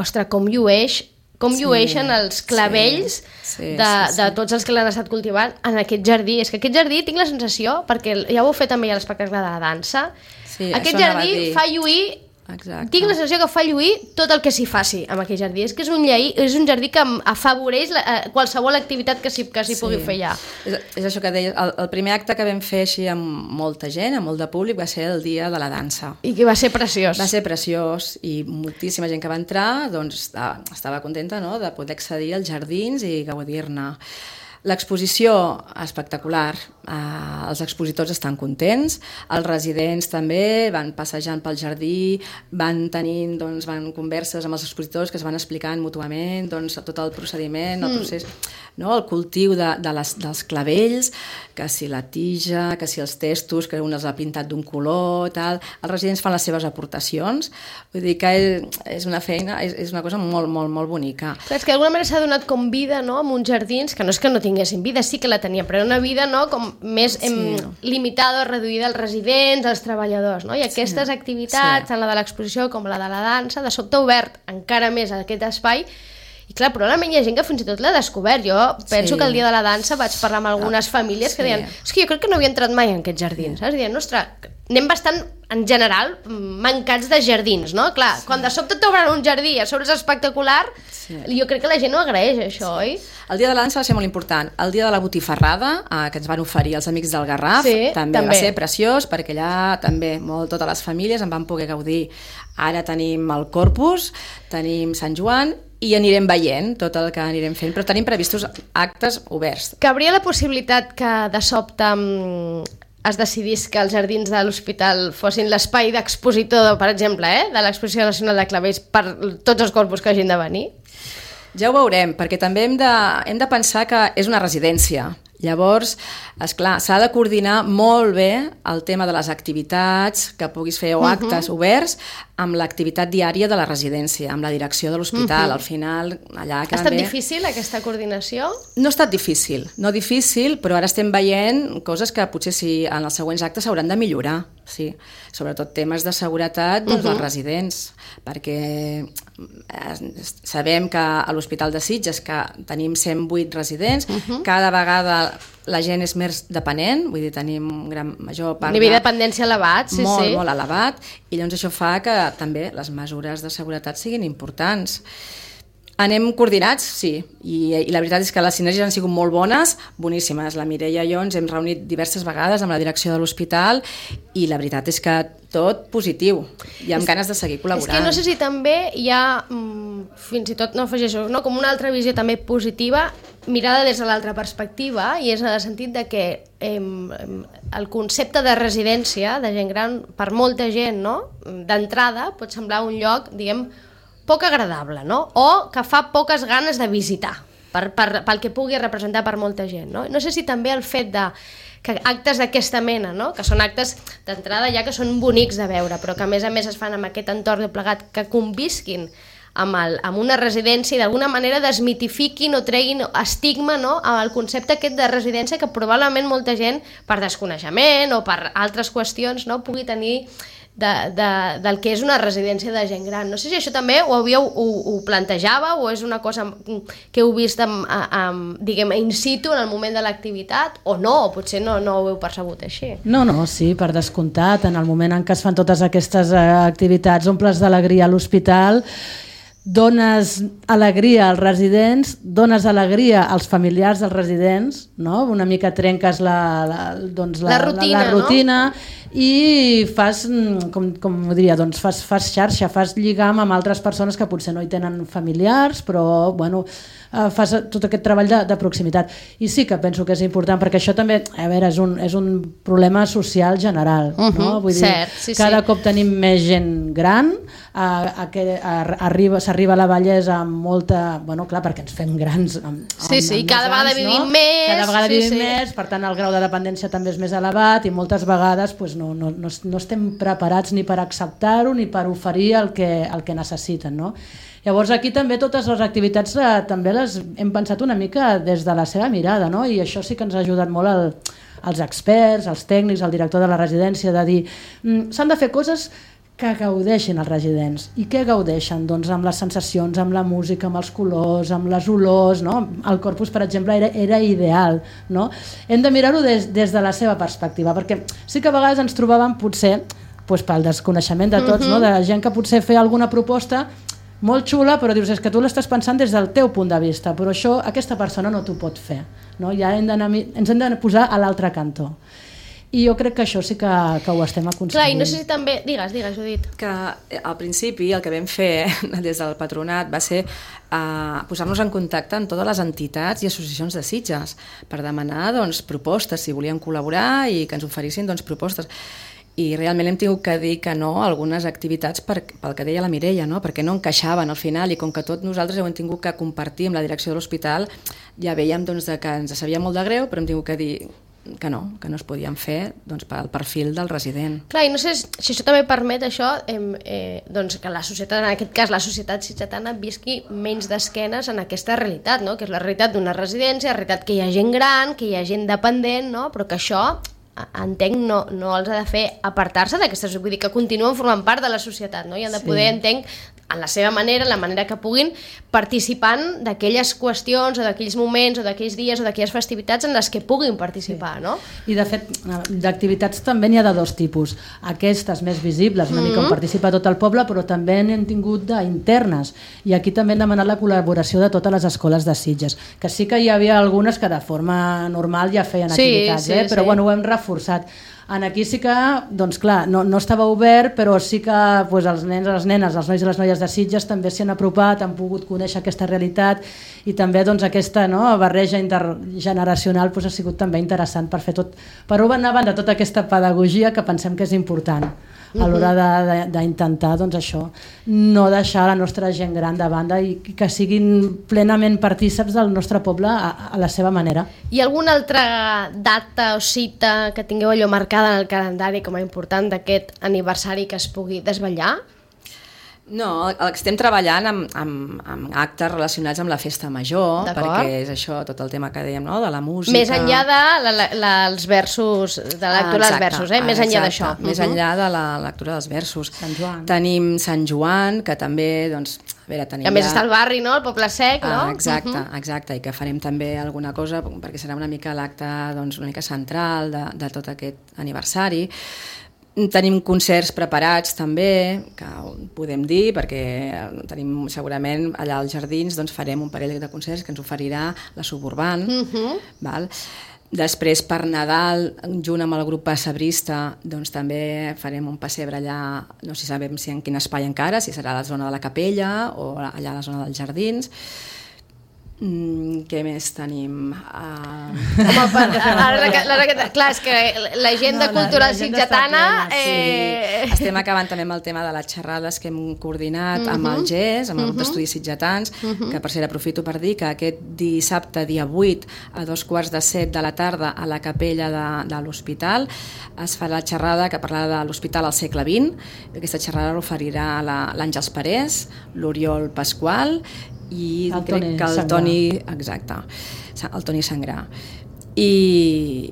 Speaker 2: Ostres, com llueix, com sí, llueixen els clavells sí, sí, de, sí, sí. de tots els que l'han estat cultivant en aquest jardí. És que aquest jardí tinc la sensació, perquè ja ho heu fet també a l'espectacle de la dansa, sí, aquest jardí fa lluir... Exacte. Tinc la sensació que fa lluir tot el que s'hi faci amb aquell jardí. És que és un, llei, és un jardí que afavoreix la, eh, qualsevol activitat que s'hi sí. pugui fer allà.
Speaker 5: És, és això que deies, el, el primer acte que vam fer així amb molta gent, amb molt de públic, va ser el dia de la dansa.
Speaker 2: I que va ser preciós.
Speaker 5: Va ser preciós i moltíssima gent que va entrar doncs, estava, estava contenta, no?, de poder accedir als jardins i gaudir-ne. L'exposició, espectacular. Uh, els expositors estan contents, els residents també van passejant pel jardí, van tenint, doncs, van converses amb els expositors que es van explicant mútuament, doncs, tot el procediment, el procés, no? El cultiu de, de les, dels clavells, que si la tija, que si els testos, que un els ha pintat d'un color, tal. Els residents fan les seves aportacions, vull dir que és, és una feina, és, és una cosa molt, molt, molt bonica.
Speaker 2: Clar, és que d'alguna manera s'ha donat com vida, no?, amb uns jardins, que no és que no tinguessin vida, sí que la tenien, però era una vida, no?, com més sí. em, limitada o reduïda als residents, als treballadors, no? I aquestes sí. activitats, sí. tant la de l'exposició com la de la dansa, de sobte ha obert encara més aquest espai. I clar, probablement hi ha gent que fins i tot l'ha descobert. Jo penso sí. que el dia de la dansa vaig parlar amb algunes famílies que sí. deien, és que jo crec que no havia entrat mai en aquests jardins, saps? I deien, ostres, anem bastant, en general, mancats de jardins, no? Clar, sí. quan de sobte t'obren un jardí, a sobre és espectacular, sí. jo crec que la gent ho agraeix, això, sí. oi? El
Speaker 5: dia de la dansa va ser molt important. El dia de la botifarrada, eh, que ens van oferir els amics del Garraf,
Speaker 2: sí,
Speaker 5: també,
Speaker 2: també
Speaker 5: va ser preciós, perquè allà també molt totes les famílies en van poder gaudir. Ara tenim el Corpus, tenim Sant Joan, i anirem veient tot el que anirem fent, però tenim previstos actes oberts.
Speaker 2: Cabria la possibilitat que de sobte es decidís que els jardins de l'hospital fossin l'espai d'expositor, per exemple, eh, de l'Exposició Nacional de Clavells per tots els corpus que hagin de venir?
Speaker 5: Ja ho veurem, perquè també hem de, hem de pensar que és una residència. Llavors, esclar, s'ha de coordinar molt bé el tema de les activitats que puguis fer o actes uh-huh. oberts amb l'activitat diària de la residència, amb la direcció de l'hospital. Uh-huh. Al final, allà...
Speaker 2: Ha estat bé. Difícil aquesta coordinació?
Speaker 5: No ha estat difícil, no difícil, però ara estem veient coses que potser sí, en els següents actes s'hauran de millorar. Sí, sobretot temes de seguretat doncs, uh-huh. dels residents, perquè sabem que a l'Hospital de Sitges que tenim cent vuit residents, uh-huh. cada vegada la gent és més dependent, vull dir, tenim un gran major part...
Speaker 2: Nivell de dependència elevat, sí,
Speaker 5: molt,
Speaker 2: sí.
Speaker 5: Molt elevat, i llavors això fa que també les mesures de seguretat siguin importants. Anem coordinats, sí, I, i la veritat és que les sinergies han sigut molt bones, boníssimes. La Mireia i jo ens hem reunit diverses vegades amb la direcció de l'hospital i la veritat és que tot positiu i amb és, ganes de seguir col·laborant.
Speaker 2: És que no sé si també hi ha, fins i tot, no afegeixo, no, com una altra visió també positiva, mirada des de l'altra perspectiva, i és en el sentit de que eh, el concepte de residència de gent gran, per molta gent, no, d'entrada, pot semblar un lloc, diguem, poc agradable, no? O que fa poques ganes de visitar, per, per, pel que pugui representar per molta gent, no? No sé si també el fet de que actes d'aquesta mena, no? Que són actes d'entrada ja que són bonics de veure, però que a més a més es fan amb aquest entorn de plegat, que convisquin amb, el, amb una residència i d'alguna manera desmitifiquin o treguin estigma, no?, al concepte aquest de residència que probablement molta gent, per desconeixement o per altres qüestions, no?, pugui tenir de, de, del que és una residència de gent gran. No sé si això també ho, havíeu, ho, ho plantejava o és una cosa que heu vist amb, amb, diguem, in situ en el moment de l'activitat o no, o potser no, no ho heu percebut així.
Speaker 4: No, no, sí, per descomptat, en el moment en què es fan totes aquestes activitats omples d'alegria a l'hospital, dones alegria als residents, dones alegria als familiars dels residents, no? Una mica trenques la, la, doncs la,
Speaker 2: la rutina,
Speaker 4: la, la rutina
Speaker 2: no?
Speaker 4: I fas, com, com ho diria, doncs fas, fas xarxa, fas lligam amb altres persones que potser no hi tenen familiars, però bueno, fas tot aquest treball de, de proximitat. I sí que penso que és important, perquè això també, a veure, és un, és un problema social general, uh-huh, no? Vull dir,
Speaker 2: cert, sí,
Speaker 4: cada
Speaker 2: sí.
Speaker 4: cop tenim més gent gran, a, a que a, arriba, s'arriba a la vellesa amb molta... Bueno, clar, perquè ens fem grans amb,
Speaker 2: sí, sí,
Speaker 4: amb
Speaker 2: cada vegada
Speaker 4: anys,
Speaker 2: vivim
Speaker 4: no?
Speaker 2: més.
Speaker 4: Cada vegada
Speaker 2: sí,
Speaker 4: vivim
Speaker 2: sí.
Speaker 4: més, per tant el grau de dependència també és més elevat i moltes vegades pues, no, no, no, no estem preparats ni per acceptar-ho ni per oferir el que, el que necessiten, no? Llavors aquí també totes les activitats eh, també les hem pensat una mica des de la seva mirada, no? I això sí que ens ha ajudat molt el, els experts, els tècnics, el director de la residència, de dir mm, s'han de fer coses que gaudeixin els residents. I què gaudeixen? Doncs amb les sensacions, amb la música, amb els colors, amb les olors, no? El Corpus, per exemple, era, era ideal, no? Hem de mirar-ho des, des de la seva perspectiva, perquè sí que a vegades ens trobàvem potser doncs, pel desconeixement de tots, uh-huh. no? De gent que potser feia alguna proposta molt xula, però dius, és que tu l'estàs pensant des del teu punt de vista, però això aquesta persona no t'ho pot fer, no? Ja hem d'anar, ens hem de posar a l'altre cantó. i jo crec que això sí que, que ho estem aconseguint.
Speaker 2: Clar, i no sé si també... Digues, digues, Judit.
Speaker 5: Que al principi el que vam fer des del patronat va ser uh, posar-nos en contacte amb totes les entitats i associacions de Sitges per demanar doncs, propostes, si volien col·laborar i que ens oferissin doncs, propostes. I realment hem tingut que dir que no a algunes activitats per, pel que deia la Mireia, no? Perquè no encaixaven al final, i com que tots nosaltres ho hem tingut que compartir amb la direcció de l'hospital, ja veiem doncs, que ens sabia molt de greu, però hem tingut que dir que no, que no es podien fer doncs, pel perfil del resident.
Speaker 2: Clar, i no sé si això també permet això, eh, eh, doncs que la societat, en aquest cas la societat sitgetana, visqui menys d'esquenes en aquesta realitat, no? Que és la realitat d'una residència, la realitat que hi ha gent gran, que hi ha gent dependent, no? Però que això, entenc, no, no els ha de fer apartar-se d'aquestes, vull dir que continuen formant part de la societat, no? I han de poder, sí. entenc, en la seva manera, en la manera que puguin, participant d'aquelles qüestions o d'aquells moments o d'aquells dies o d'aquelles festivitats en les que puguin participar, sí. no?
Speaker 4: I de fet, d'activitats també n'hi ha de dos tipus. Aquestes més visibles, una mm-hmm. mica on participa tot el poble, però també n'hem tingut d'internes. I aquí també hem demanat la col·laboració de totes les escoles de Sitges, que sí que hi havia algunes que de forma normal ja feien
Speaker 2: sí,
Speaker 4: activitats,
Speaker 2: sí,
Speaker 4: eh? però
Speaker 2: sí.
Speaker 4: bueno, ho hem reforçat. En aquí sí que, doncs clar, no, no estava obert, però sí que pues, els nens, les nenes, els nois i les noies de Sitges també s'hi han apropat, han pogut conèixer aquesta realitat i també doncs, aquesta no, barreja intergeneracional pues, ha sigut també interessant per fer tot, per una banda tota aquesta pedagogia que pensem que és important a l'hora d'intentar doncs, això, no deixar la nostra gent gran de banda i que siguin plenament partíceps del nostre poble a, a la seva manera.
Speaker 2: Hi ha alguna altra data o cita que tingueu allò marcada en el calendari com a important d'aquest aniversari que es pugui desvetllar?
Speaker 5: No, el que estem treballant amb, amb, amb actes relacionats amb la festa major, perquè és això, tot el tema que dèiem, no?, de la música...
Speaker 2: Més enllà de la, la, la, els versos, de la lectura ah, dels versos, eh? Més enllà d'això.
Speaker 5: Més uh-huh. enllà de la lectura dels versos. Sant Joan. Tenim Sant Joan, que també, doncs, a veure, tenim...
Speaker 2: A més ja... està el barri, no?, el Poble Sec, no?
Speaker 5: Ah, exacte, uh-huh. exacte, i que farem també alguna cosa, perquè serà una mica l'acte, doncs, una mica central de, de tot aquest aniversari. Tenim concerts preparats també, que podem dir, perquè tenim segurament allà als jardins doncs farem un parell de concerts que ens oferirà la Suburban. Uh-huh. Val? Després per Nadal, junt amb el grup Pessebrista, doncs també farem un pessebre allà, no sé si sabem si en quin espai encara, si serà a la zona de la Capella o allà a la zona dels jardins. Mm, què més tenim? Uh...
Speaker 2: Home, ara, ara, clar, és que l'agenda no, cultural sitgetana...
Speaker 5: Eh... Sí. Estem acabant també amb el tema de les xerrades que hem coordinat uh-huh. amb el G E S, amb el grup uh-huh. d'estudis sitgetans, uh-huh. que per cert aprofito per dir que aquest dissabte, dia vuit, a dos quarts de set de la tarda, a la capella de, de l'hospital, es farà la xerrada que parlarà de l'hospital al segle vint. Aquesta xerrada l'oferirà l'Àngels Parés, l'Oriol Pasqual i
Speaker 4: el
Speaker 5: crec
Speaker 4: Toni
Speaker 5: que el Toni, exacte, el Toni Sangrà. I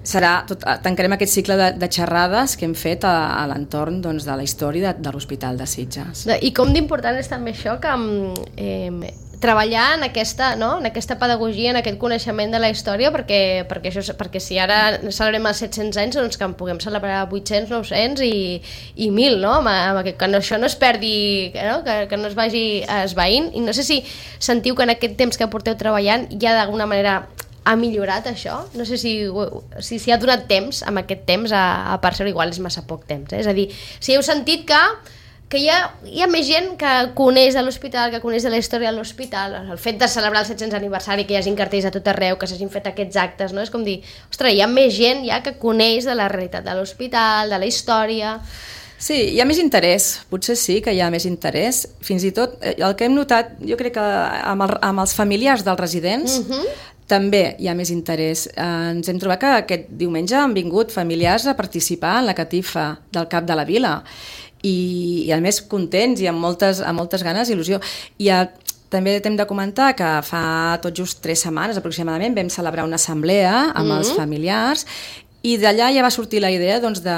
Speaker 5: serà tot, tancarem aquest cicle de, de xerrades que hem fet a, a l'entorn doncs, de la història de, de l'Hospital de Sitges.
Speaker 2: I com d'important és també això que eh, treballar en aquesta, no? en aquesta pedagogia, en aquest coneixement de la història, perquè, perquè, això, perquè si ara celebrem els set-cents anys, doncs que en puguem celebrar vuit-cents, nou-cents i, i mil, no? Que, que això no es perdi, no? Que, que no es vagi esvaint. I no sé si sentiu que en aquest temps que porteu treballant ja d'alguna manera ha millorat això? No sé si, si, si ha donat temps, amb aquest temps, a, a percebre, igual és massa poc temps. Eh? És a dir, si heu sentit que que hi ha, hi ha més gent que coneix de l'hospital, que coneix de la història de l'hospital, el fet de celebrar el set-cents aniversari, que hi hagin cartells a tot arreu, que s'hagin fet aquests actes, no? És com dir, ostres, hi ha més gent ja que coneix de la realitat de l'hospital, de la història...
Speaker 5: Sí, hi ha més interès, potser sí que hi ha més interès, fins i tot el que hem notat, jo crec que amb, el, amb els familiars dels residents uh-huh. també hi ha més interès. Eh, ens hem trobat que aquest diumenge han vingut familiars a participar en la catifa del Cap de la Vila, i, i a més contents i amb moltes, amb moltes ganes i il·lusió. I a, també t'hem de comentar que fa tot just tres setmanes aproximadament vam celebrar una assemblea amb mm-hmm. els familiars i d'allà ja va sortir la idea doncs, de...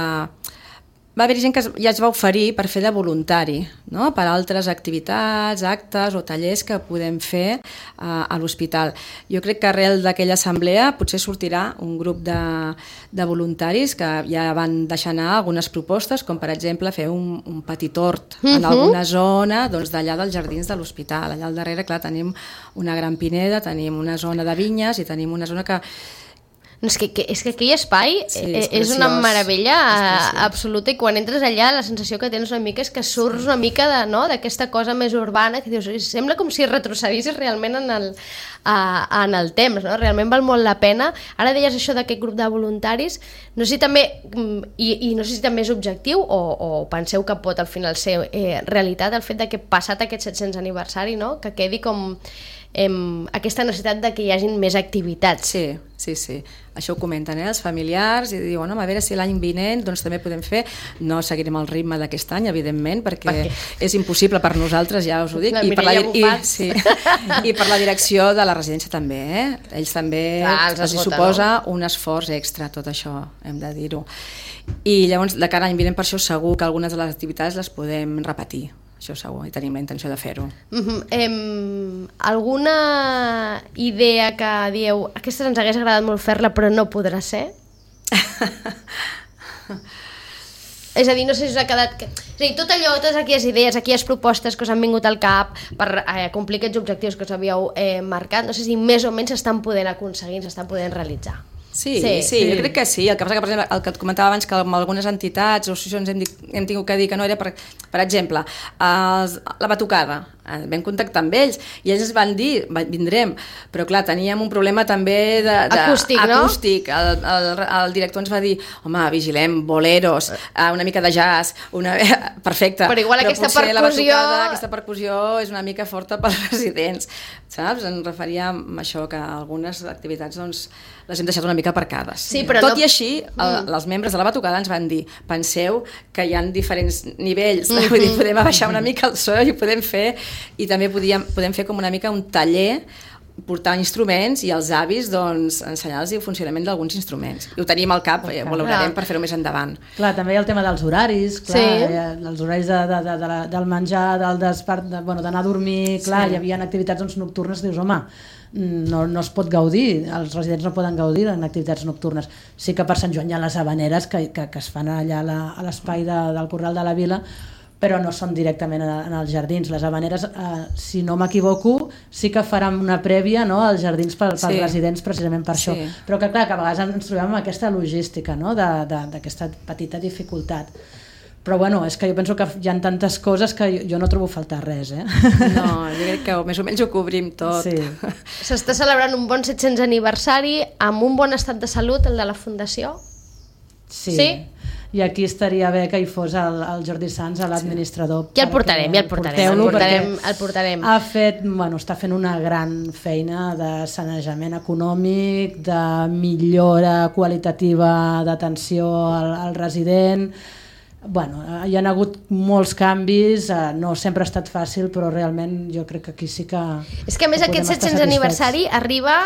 Speaker 5: Va haver gent que ja es va oferir per fer de voluntari, no? Per altres activitats, actes o tallers que podem fer uh, a l'hospital. Jo crec que arrel d'aquella assemblea potser sortirà un grup de, de voluntaris que ja van deixar anar algunes propostes, com per exemple fer un, un petit hort uh-huh. en alguna zona doncs, d'allà dels jardins de l'hospital. Allà al darrere, clar, tenim una gran pineda, tenim una zona de vinyes i tenim una zona que...
Speaker 2: No, és, que, que, és que aquell espai
Speaker 5: Sí,
Speaker 2: és,
Speaker 5: és
Speaker 2: és una
Speaker 5: preciós,
Speaker 2: meravella
Speaker 5: és preciós.
Speaker 2: absoluta, i quan entres allà la sensació que tens una mica és que surts una mica de, no, d'aquesta cosa més urbana que dius, sembla com si retrocedissis realment en el, a, en el temps, no? Realment val molt la pena. Ara deies això d'aquest grup de voluntaris, no sé si també, i, i no sé si també és objectiu o, o penseu que pot al final ser eh, realitat el fet de que passat aquest set-cents aniversari, no? Que quedi com em, aquesta necessitat de que hi hagin més activitats.
Speaker 5: Sí, sí, sí. Això ho comenten eh, els familiars i diuen, home, a veure si l'any vinent doncs, també podem fer. No seguirem el ritme d'aquest any, evidentment, perquè
Speaker 2: Per què?
Speaker 5: és impossible per nosaltres, ja us ho dic.
Speaker 2: La
Speaker 5: I per, la,
Speaker 2: Mireia
Speaker 5: i,
Speaker 2: Bufat.
Speaker 5: sí, I per la direcció de la residència també. Eh? Ells també
Speaker 2: Clar, els
Speaker 5: els hi
Speaker 2: esgota,
Speaker 5: suposa un esforç extra, tot això, hem de dir-ho. I llavors, de cara a l'any vinent, per això segur que algunes de les activitats les podem repetir. Això segur, i tenim la intenció de fer-ho.
Speaker 2: Uh-huh. Em, alguna idea que dieu aquesta ens hagués agradat molt fer-la però no podrà ser? És a dir, no sé si us ha quedat... Que... És a dir, tot allò, totes aquelles idees, aquelles propostes que us han vingut al cap per eh, complir aquests objectius que us havíeu eh, marcat, no sé si més o menys s'estan podent aconseguir, s'estan podent realitzar.
Speaker 5: Sí,
Speaker 2: Sí,
Speaker 5: sí, sí,
Speaker 2: sí.
Speaker 5: jo crec que sí. El que passa que, per exemple, el que et comentava abans, que amb algunes entitats o associacions hem, dit, hem tingut que dir que no era, per, per exemple, els, la batucada. Vam contactar amb ells i ells ens van dir, vindrem, però clar, teníem un problema també de, de,
Speaker 2: Acústic, no?
Speaker 5: acústic. El, el, el director ens va dir, home, vigilem, boleros, una mica de jazz, una... perfecte.
Speaker 2: Però igual aquesta
Speaker 5: potser la
Speaker 2: percussió-
Speaker 5: batucada, aquesta percussió és una mica forta pels residents, saps? Ens referia a això, que algunes activitats doncs, les hem deixat una mica aparcades.
Speaker 2: Sí, però
Speaker 5: Tot
Speaker 2: no-
Speaker 5: i així, el, els membres de la batucada ens van dir, penseu que hi ha diferents nivells, mm -hmm. vull dir, podem abaixar una mica el so i ho podem fer, i també podíem, podem fer com una mica un taller, portar instruments i els avis doncs, ensenyar-los el funcionament d'alguns instruments. I ho tenim al cap, okay. valorarem
Speaker 2: Ah.
Speaker 5: per fer-ho més endavant.
Speaker 4: Clar, també hi ha el tema dels horaris, clar,
Speaker 2: Sí.
Speaker 4: eh, els horaris de, de, de, de la, del menjar, del despart, de, bueno, d'anar a dormir, clar,
Speaker 5: Sí.
Speaker 4: hi havia activitats doncs, nocturnes, dius, home, no, no es pot gaudir, els residents no poden gaudir en activitats nocturnes. Sí que per Sant Joan hi ha les habaneres que, que, que es fan allà a la- a l'espai de, del Corral de la Vila, però no són directament en, en els jardins. Les habaneres, eh, si no m'equivoco, sí que faran una prèvia, no?, als jardins per, pels
Speaker 5: Sí.
Speaker 4: residents precisament per
Speaker 5: Sí.
Speaker 4: això. Però que clar, que a vegades ens trobem amb aquesta logística, no?, de- de- d'aquesta petita dificultat. Però bueno, és que jo penso que hi ha tantes coses que jo, jo no trobo faltar res, eh?
Speaker 5: No, jo crec que més o menys ho cobrim tot.
Speaker 4: Sí.
Speaker 2: S'està celebrant un bon set-cents aniversari amb un bon estat de salut, el de la Fundació.
Speaker 4: Sí.
Speaker 2: Sí?
Speaker 4: I aquí estaria bé que hi fos el, el Jordi Sans, l'administrador.
Speaker 2: Ja el
Speaker 4: perquè
Speaker 2: portarem, ja el portarem, el
Speaker 4: porteu-lo,
Speaker 2: portarem,
Speaker 4: perquè
Speaker 2: el portarem.
Speaker 4: Ha fet, bueno, està fent una gran feina de sanejament econòmic, de millora qualitativa d'atenció al, al resident. Bueno, hi ha hagut molts canvis, eh, no sempre ha estat fàcil, però realment jo crec que aquí sí que...
Speaker 2: És que a més
Speaker 4: que
Speaker 2: aquest
Speaker 4: podem estar
Speaker 2: set-cents
Speaker 4: satisfets.
Speaker 2: aniversari arriba,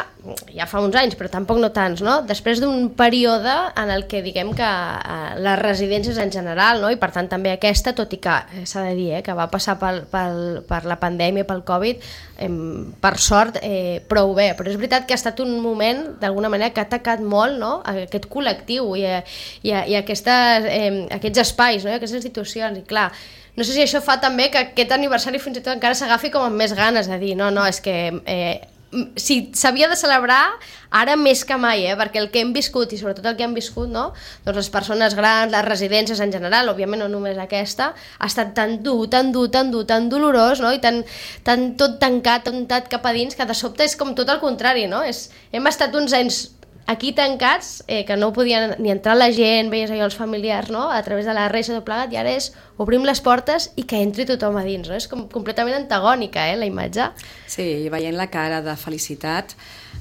Speaker 2: ja fa uns anys, però tampoc no tants, no? Després d'un període en el que diguem que eh, les residències en general, no? I per tant també aquesta, tot i que eh, s'ha de dir eh, que va passar pel, pel, per la pandèmia, pel Covid, eh, per sort, eh, prou bé, però és veritat que ha estat un moment d'alguna manera que ha atacat molt, no?, aquest col·lectiu i, i, i aquestes, eh, aquests espais, no?, i aquestes institucions, i clar, no sé si això fa també que aquest aniversari fins i tot encara s'agafi com amb més ganes de dir, no, no, és que eh, si s'havia de celebrar ara més que mai, eh? Perquè el que hem viscut i sobretot el que hem viscut, no? Doncs les persones grans, les residències en general, òbviament no només aquesta, ha estat tan dur, tan dur, tan dur, tan dolorós, no? I tan, tan tot tancat, tancat cap a dins, que de sobte és com tot el contrari, no? És, hem estat uns anys aquí tancats, eh, que no podien ni entrar la gent, veies allò els familiars, no?, a través de la reixa tot plegat, i ara és obrim les portes i que entri tothom a dins, no? És com completament antagònica, eh, la imatge.
Speaker 5: Sí, i veient la cara de felicitat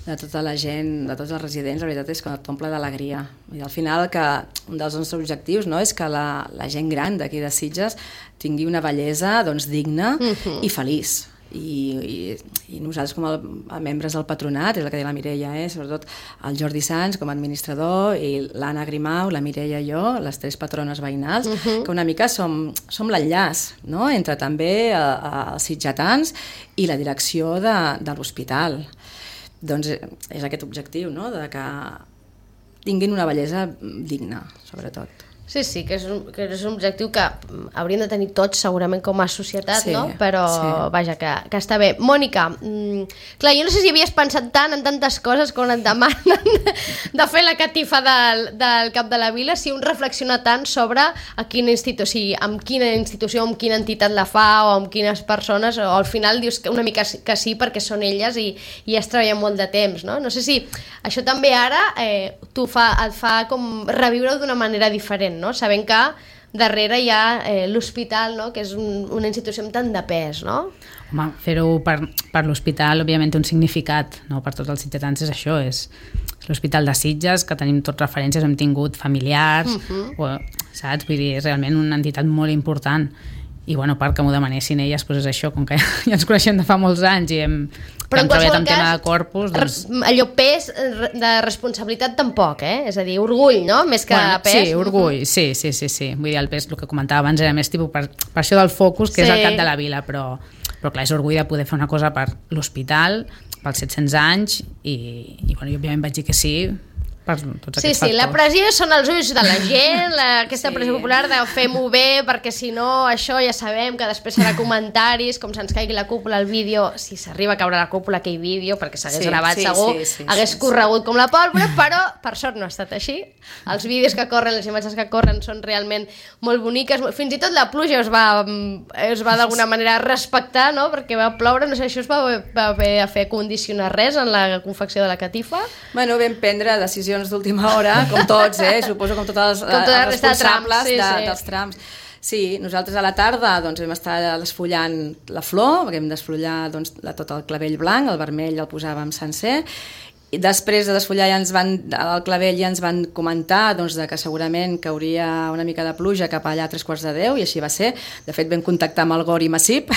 Speaker 5: de tota la gent, de tots els residents, la veritat és que t'omple d'alegria. I al final que un dels nostres objectius, no?, és que la, la gent gran d'aquí de Sitges tingui una bellesa doncs, digna
Speaker 2: Mhm.
Speaker 5: i feliç. I, i, i nosaltres com a, a membres del patronat, és el que deia la Mireia, eh? Sobretot el Jordi Sans com a administrador i l'Anna Grimau, la Mireia i jo, les tres patrones veïnals, uh-huh. que una mica som, som l'enllaç, no?, entre també a, a, els sitgetans i la direcció de, de l'hospital. Doncs és aquest objectiu, no?, de que tinguin una bellesa digna, sobretot.
Speaker 2: Sí, sí, que és, un, que és un objectiu que hauríem de tenir tots segurament com a societat,
Speaker 5: sí,
Speaker 2: no? Però
Speaker 5: sí.
Speaker 2: vaja, que, que està bé. Mònica, mmm, clar, jo no sé si havies pensat tant en tantes coses quan et demanen de fer la catifa del, del Cap de la Vila, si un reflexiona tant sobre a quina institució, amb quina institució, amb quina entitat la fa o amb quines persones, o al final dius que una mica que sí perquè són elles i, i es treballen molt de temps, no? No sé si això també ara eh, tu fa, et fa com reviure-ho d'una manera diferent, no? Sabent que darrere hi ha eh, l'hospital, no? Que és un, una institució amb tant de pes, no?
Speaker 3: Home, fer-ho per, per l'hospital, òbviament, té un significat, no? Per tots els sitgetans és això, és l'Hospital de Sitges, que tenim tots referències, hem tingut familiars, uh-huh. o, saps? Vull dir, és realment una entitat molt important. I bueno, perquè m'ho demanessin elles, doncs és això, com que ja ens coneixem de fa molts anys i hem, hem treballat en tema de corpus, doncs...
Speaker 2: allò pes de responsabilitat tampoc, eh? És a dir, orgull, no? Més que
Speaker 3: bueno,
Speaker 2: pes.
Speaker 3: Sí, orgull, sí, sí, sí, sí. Vull dir, el pes, el que comentava abans, era més tipus per, per això del focus, que sí. És el cap de la vila, però, però clar, és orgull de poder fer una cosa per l'hospital, pels set-cents anys, i, i bueno, jo òbviament vaig dir que sí, per tots
Speaker 2: sí,
Speaker 3: aquests
Speaker 2: sí,
Speaker 3: factors.
Speaker 2: la pressió són els ulls de la gent, la, aquesta
Speaker 5: Sí.
Speaker 2: pressió popular de fem-ho bé, perquè si no, això ja sabem que després serà comentaris, com se'ns caigui la cúpula, el vídeo, si s'arriba a caure la cúpula, aquell vídeo, perquè s'hagués
Speaker 5: Sí,
Speaker 2: gravat
Speaker 5: sí,
Speaker 2: segur,
Speaker 5: sí, sí,
Speaker 2: hagués
Speaker 5: sí,
Speaker 2: corregut com la pólvora, però per sort no ha estat així. Els vídeos que corren, les imatges que corren són realment molt boniques, fins i tot la pluja es va, es va d'alguna manera respectar, no? Perquè va ploure, no sé, això es va, va haver de fer condicionar res en la confecció de la catifa.
Speaker 5: Bueno, vam prendre decisions d'última hora, com tots, eh? Suposo com tots els,
Speaker 2: Com tota la
Speaker 5: els
Speaker 2: resta de
Speaker 5: responsables
Speaker 2: trams, sí,
Speaker 5: de,
Speaker 2: sí.
Speaker 5: dels trams. Sí, nosaltres a la tarda doncs, vam estar desfullant la flor, perquè vam desfullar doncs, la, tot el clavell blanc, el vermell el posàvem sencer, i després de desfullar ja ens van, el clavell ja ens van comentar doncs, de que segurament cauria una mica de pluja cap allà a tres quarts de deu, i així va ser. De fet, vam contactar amb el Gori Massip,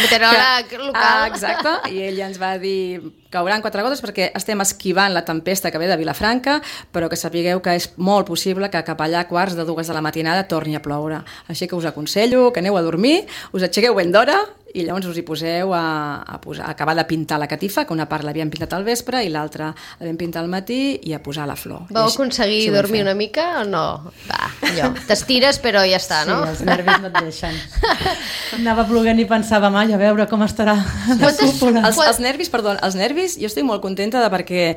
Speaker 2: meteoròleg local.
Speaker 5: Ah, exacte, i ell ja ens va dir cauran quatre gotes perquè estem esquivant la tempesta que ve de Vilafranca, però que sapigueu que és molt possible que cap allà a quarts de dues de la matinada torni a ploure. Així que us aconsello que aneu a dormir, us aixequeu ben d'hora i llavors us hi poseu a, a, posar, a acabar de pintar la catifa, que una part l'havíem pintat al vespre i l'altra l'havíem pintat al matí, i a posar la flor.
Speaker 2: Vau aconseguir
Speaker 5: així
Speaker 2: dormir una mica o no? Va, allò, t'estires però ja està, no?
Speaker 4: Sí, els nervis no et deixen. Anava ploguent i pensava, mai, a veure com estarà la
Speaker 2: Quantes-
Speaker 4: cúpula.
Speaker 5: Els, els nervis, perdó, els nervis, jo estic molt contenta de perquè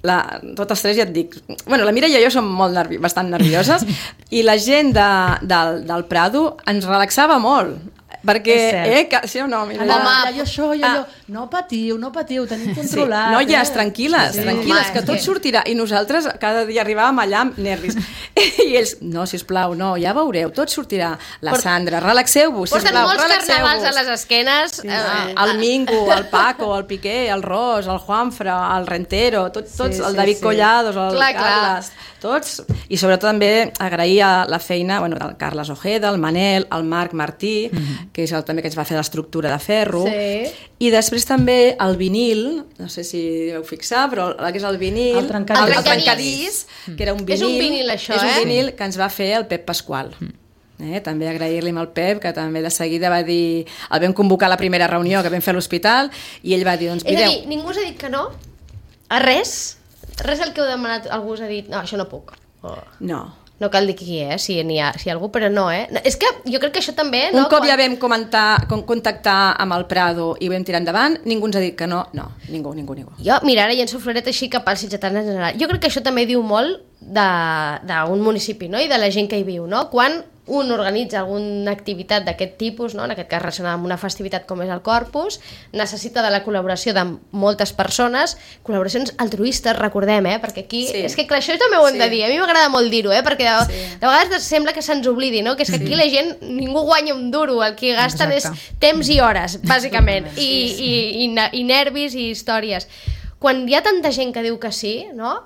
Speaker 5: la, totes tres ja et dic, bueno, la Mireia i jo som molt nervi, bastant nervioses, i la gent de, del, del Prado ens relaxava molt, perquè,
Speaker 4: És cert.
Speaker 5: eh, que, sí o no, Mireia?
Speaker 4: Allà,
Speaker 2: Home,
Speaker 4: allà, jo això, jo
Speaker 5: ah.
Speaker 4: allò, no patiu, no patiu, tenim
Speaker 5: Sí,
Speaker 4: controlat.
Speaker 5: noies,
Speaker 4: eh?
Speaker 5: tranquil·les,
Speaker 4: Sí.
Speaker 5: tranquil·les,
Speaker 2: Home,
Speaker 5: que
Speaker 2: és
Speaker 5: tot
Speaker 2: que-
Speaker 5: sortirà. I nosaltres cada dia arribàvem allà amb nervis. I ells, no, sisplau, no, ja veureu, tot sortirà. La
Speaker 2: Port-
Speaker 5: Sandra, relaxeu-vos,
Speaker 2: Porten
Speaker 5: sisplau,
Speaker 2: molts
Speaker 5: relaxeu-vos.
Speaker 2: carnavals a les esquenes.
Speaker 5: Sí,
Speaker 2: eh,
Speaker 5: el Mingo, el Paco, el Piqué, el Ros, el Juanfra, el Rentero, tot, tots,
Speaker 4: Sí,
Speaker 5: el
Speaker 4: sí,
Speaker 5: David
Speaker 4: sí.
Speaker 5: Collados, el
Speaker 2: Clar, clar.
Speaker 5: Carles, tots. I sobretot també agrair a la feina bueno, del Carles Ojeda, el Manel, el Marc Martí, mm-hmm. que és el també que ens va fer l'estructura de ferro.
Speaker 2: Sí.
Speaker 5: I després també el vinil, no sé si vau fixar, però el que és el vinil,
Speaker 4: El trencadís.
Speaker 5: el,
Speaker 2: El
Speaker 5: trencadís, que era un vinil,
Speaker 2: És un vinil, això,
Speaker 5: és un
Speaker 2: eh?
Speaker 5: vinil que ens va fer el Pep Pasqual. Eh, també agrair-li al Pep, que també de seguida va dir, el vam convocar a la primera reunió que vam fer a l'hospital, i ell va dir, doncs
Speaker 2: És a
Speaker 5: mireu,
Speaker 2: dir, ningú us ha dit que no? A res? Res del que heu demanat, algú us ha dit, no, això no puc. O...
Speaker 5: no.
Speaker 2: No cal dir qui és, si n'hi ha, si hi ha algú, però no, eh? No, és que jo crec que això també...
Speaker 5: Un
Speaker 2: no,
Speaker 5: cop
Speaker 2: quan...
Speaker 5: ja vam comentar, con contactar amb el Prado i vam tirar endavant, ningú ens ha dit que no, no, ningú, ningú, ningú.
Speaker 2: Jo, mira, ara llenço floret així cap als sitgetans en general. Jo crec que això també diu molt d'un municipi, no?, i de la gent que hi viu, no? Quan un organitza alguna activitat d'aquest tipus, no? En aquest cas relacionada amb una festivitat com és el Corpus, necessita de la col·laboració de moltes persones, col·laboracions altruistes, recordem, eh? Perquè aquí...
Speaker 5: Sí.
Speaker 2: És que clar, això també ho hem
Speaker 5: Sí.
Speaker 2: de dir, a mi m'agrada molt dir-ho, eh? Perquè de,
Speaker 5: Sí.
Speaker 2: de vegades sembla que se'ns oblidi, no? Que és que aquí la gent, ningú guanya un duro, el que gasten
Speaker 3: Exacte.
Speaker 2: és temps i hores, bàsicament, i, i, i, i nervis i històries. Quan hi ha tanta gent que diu que sí, no?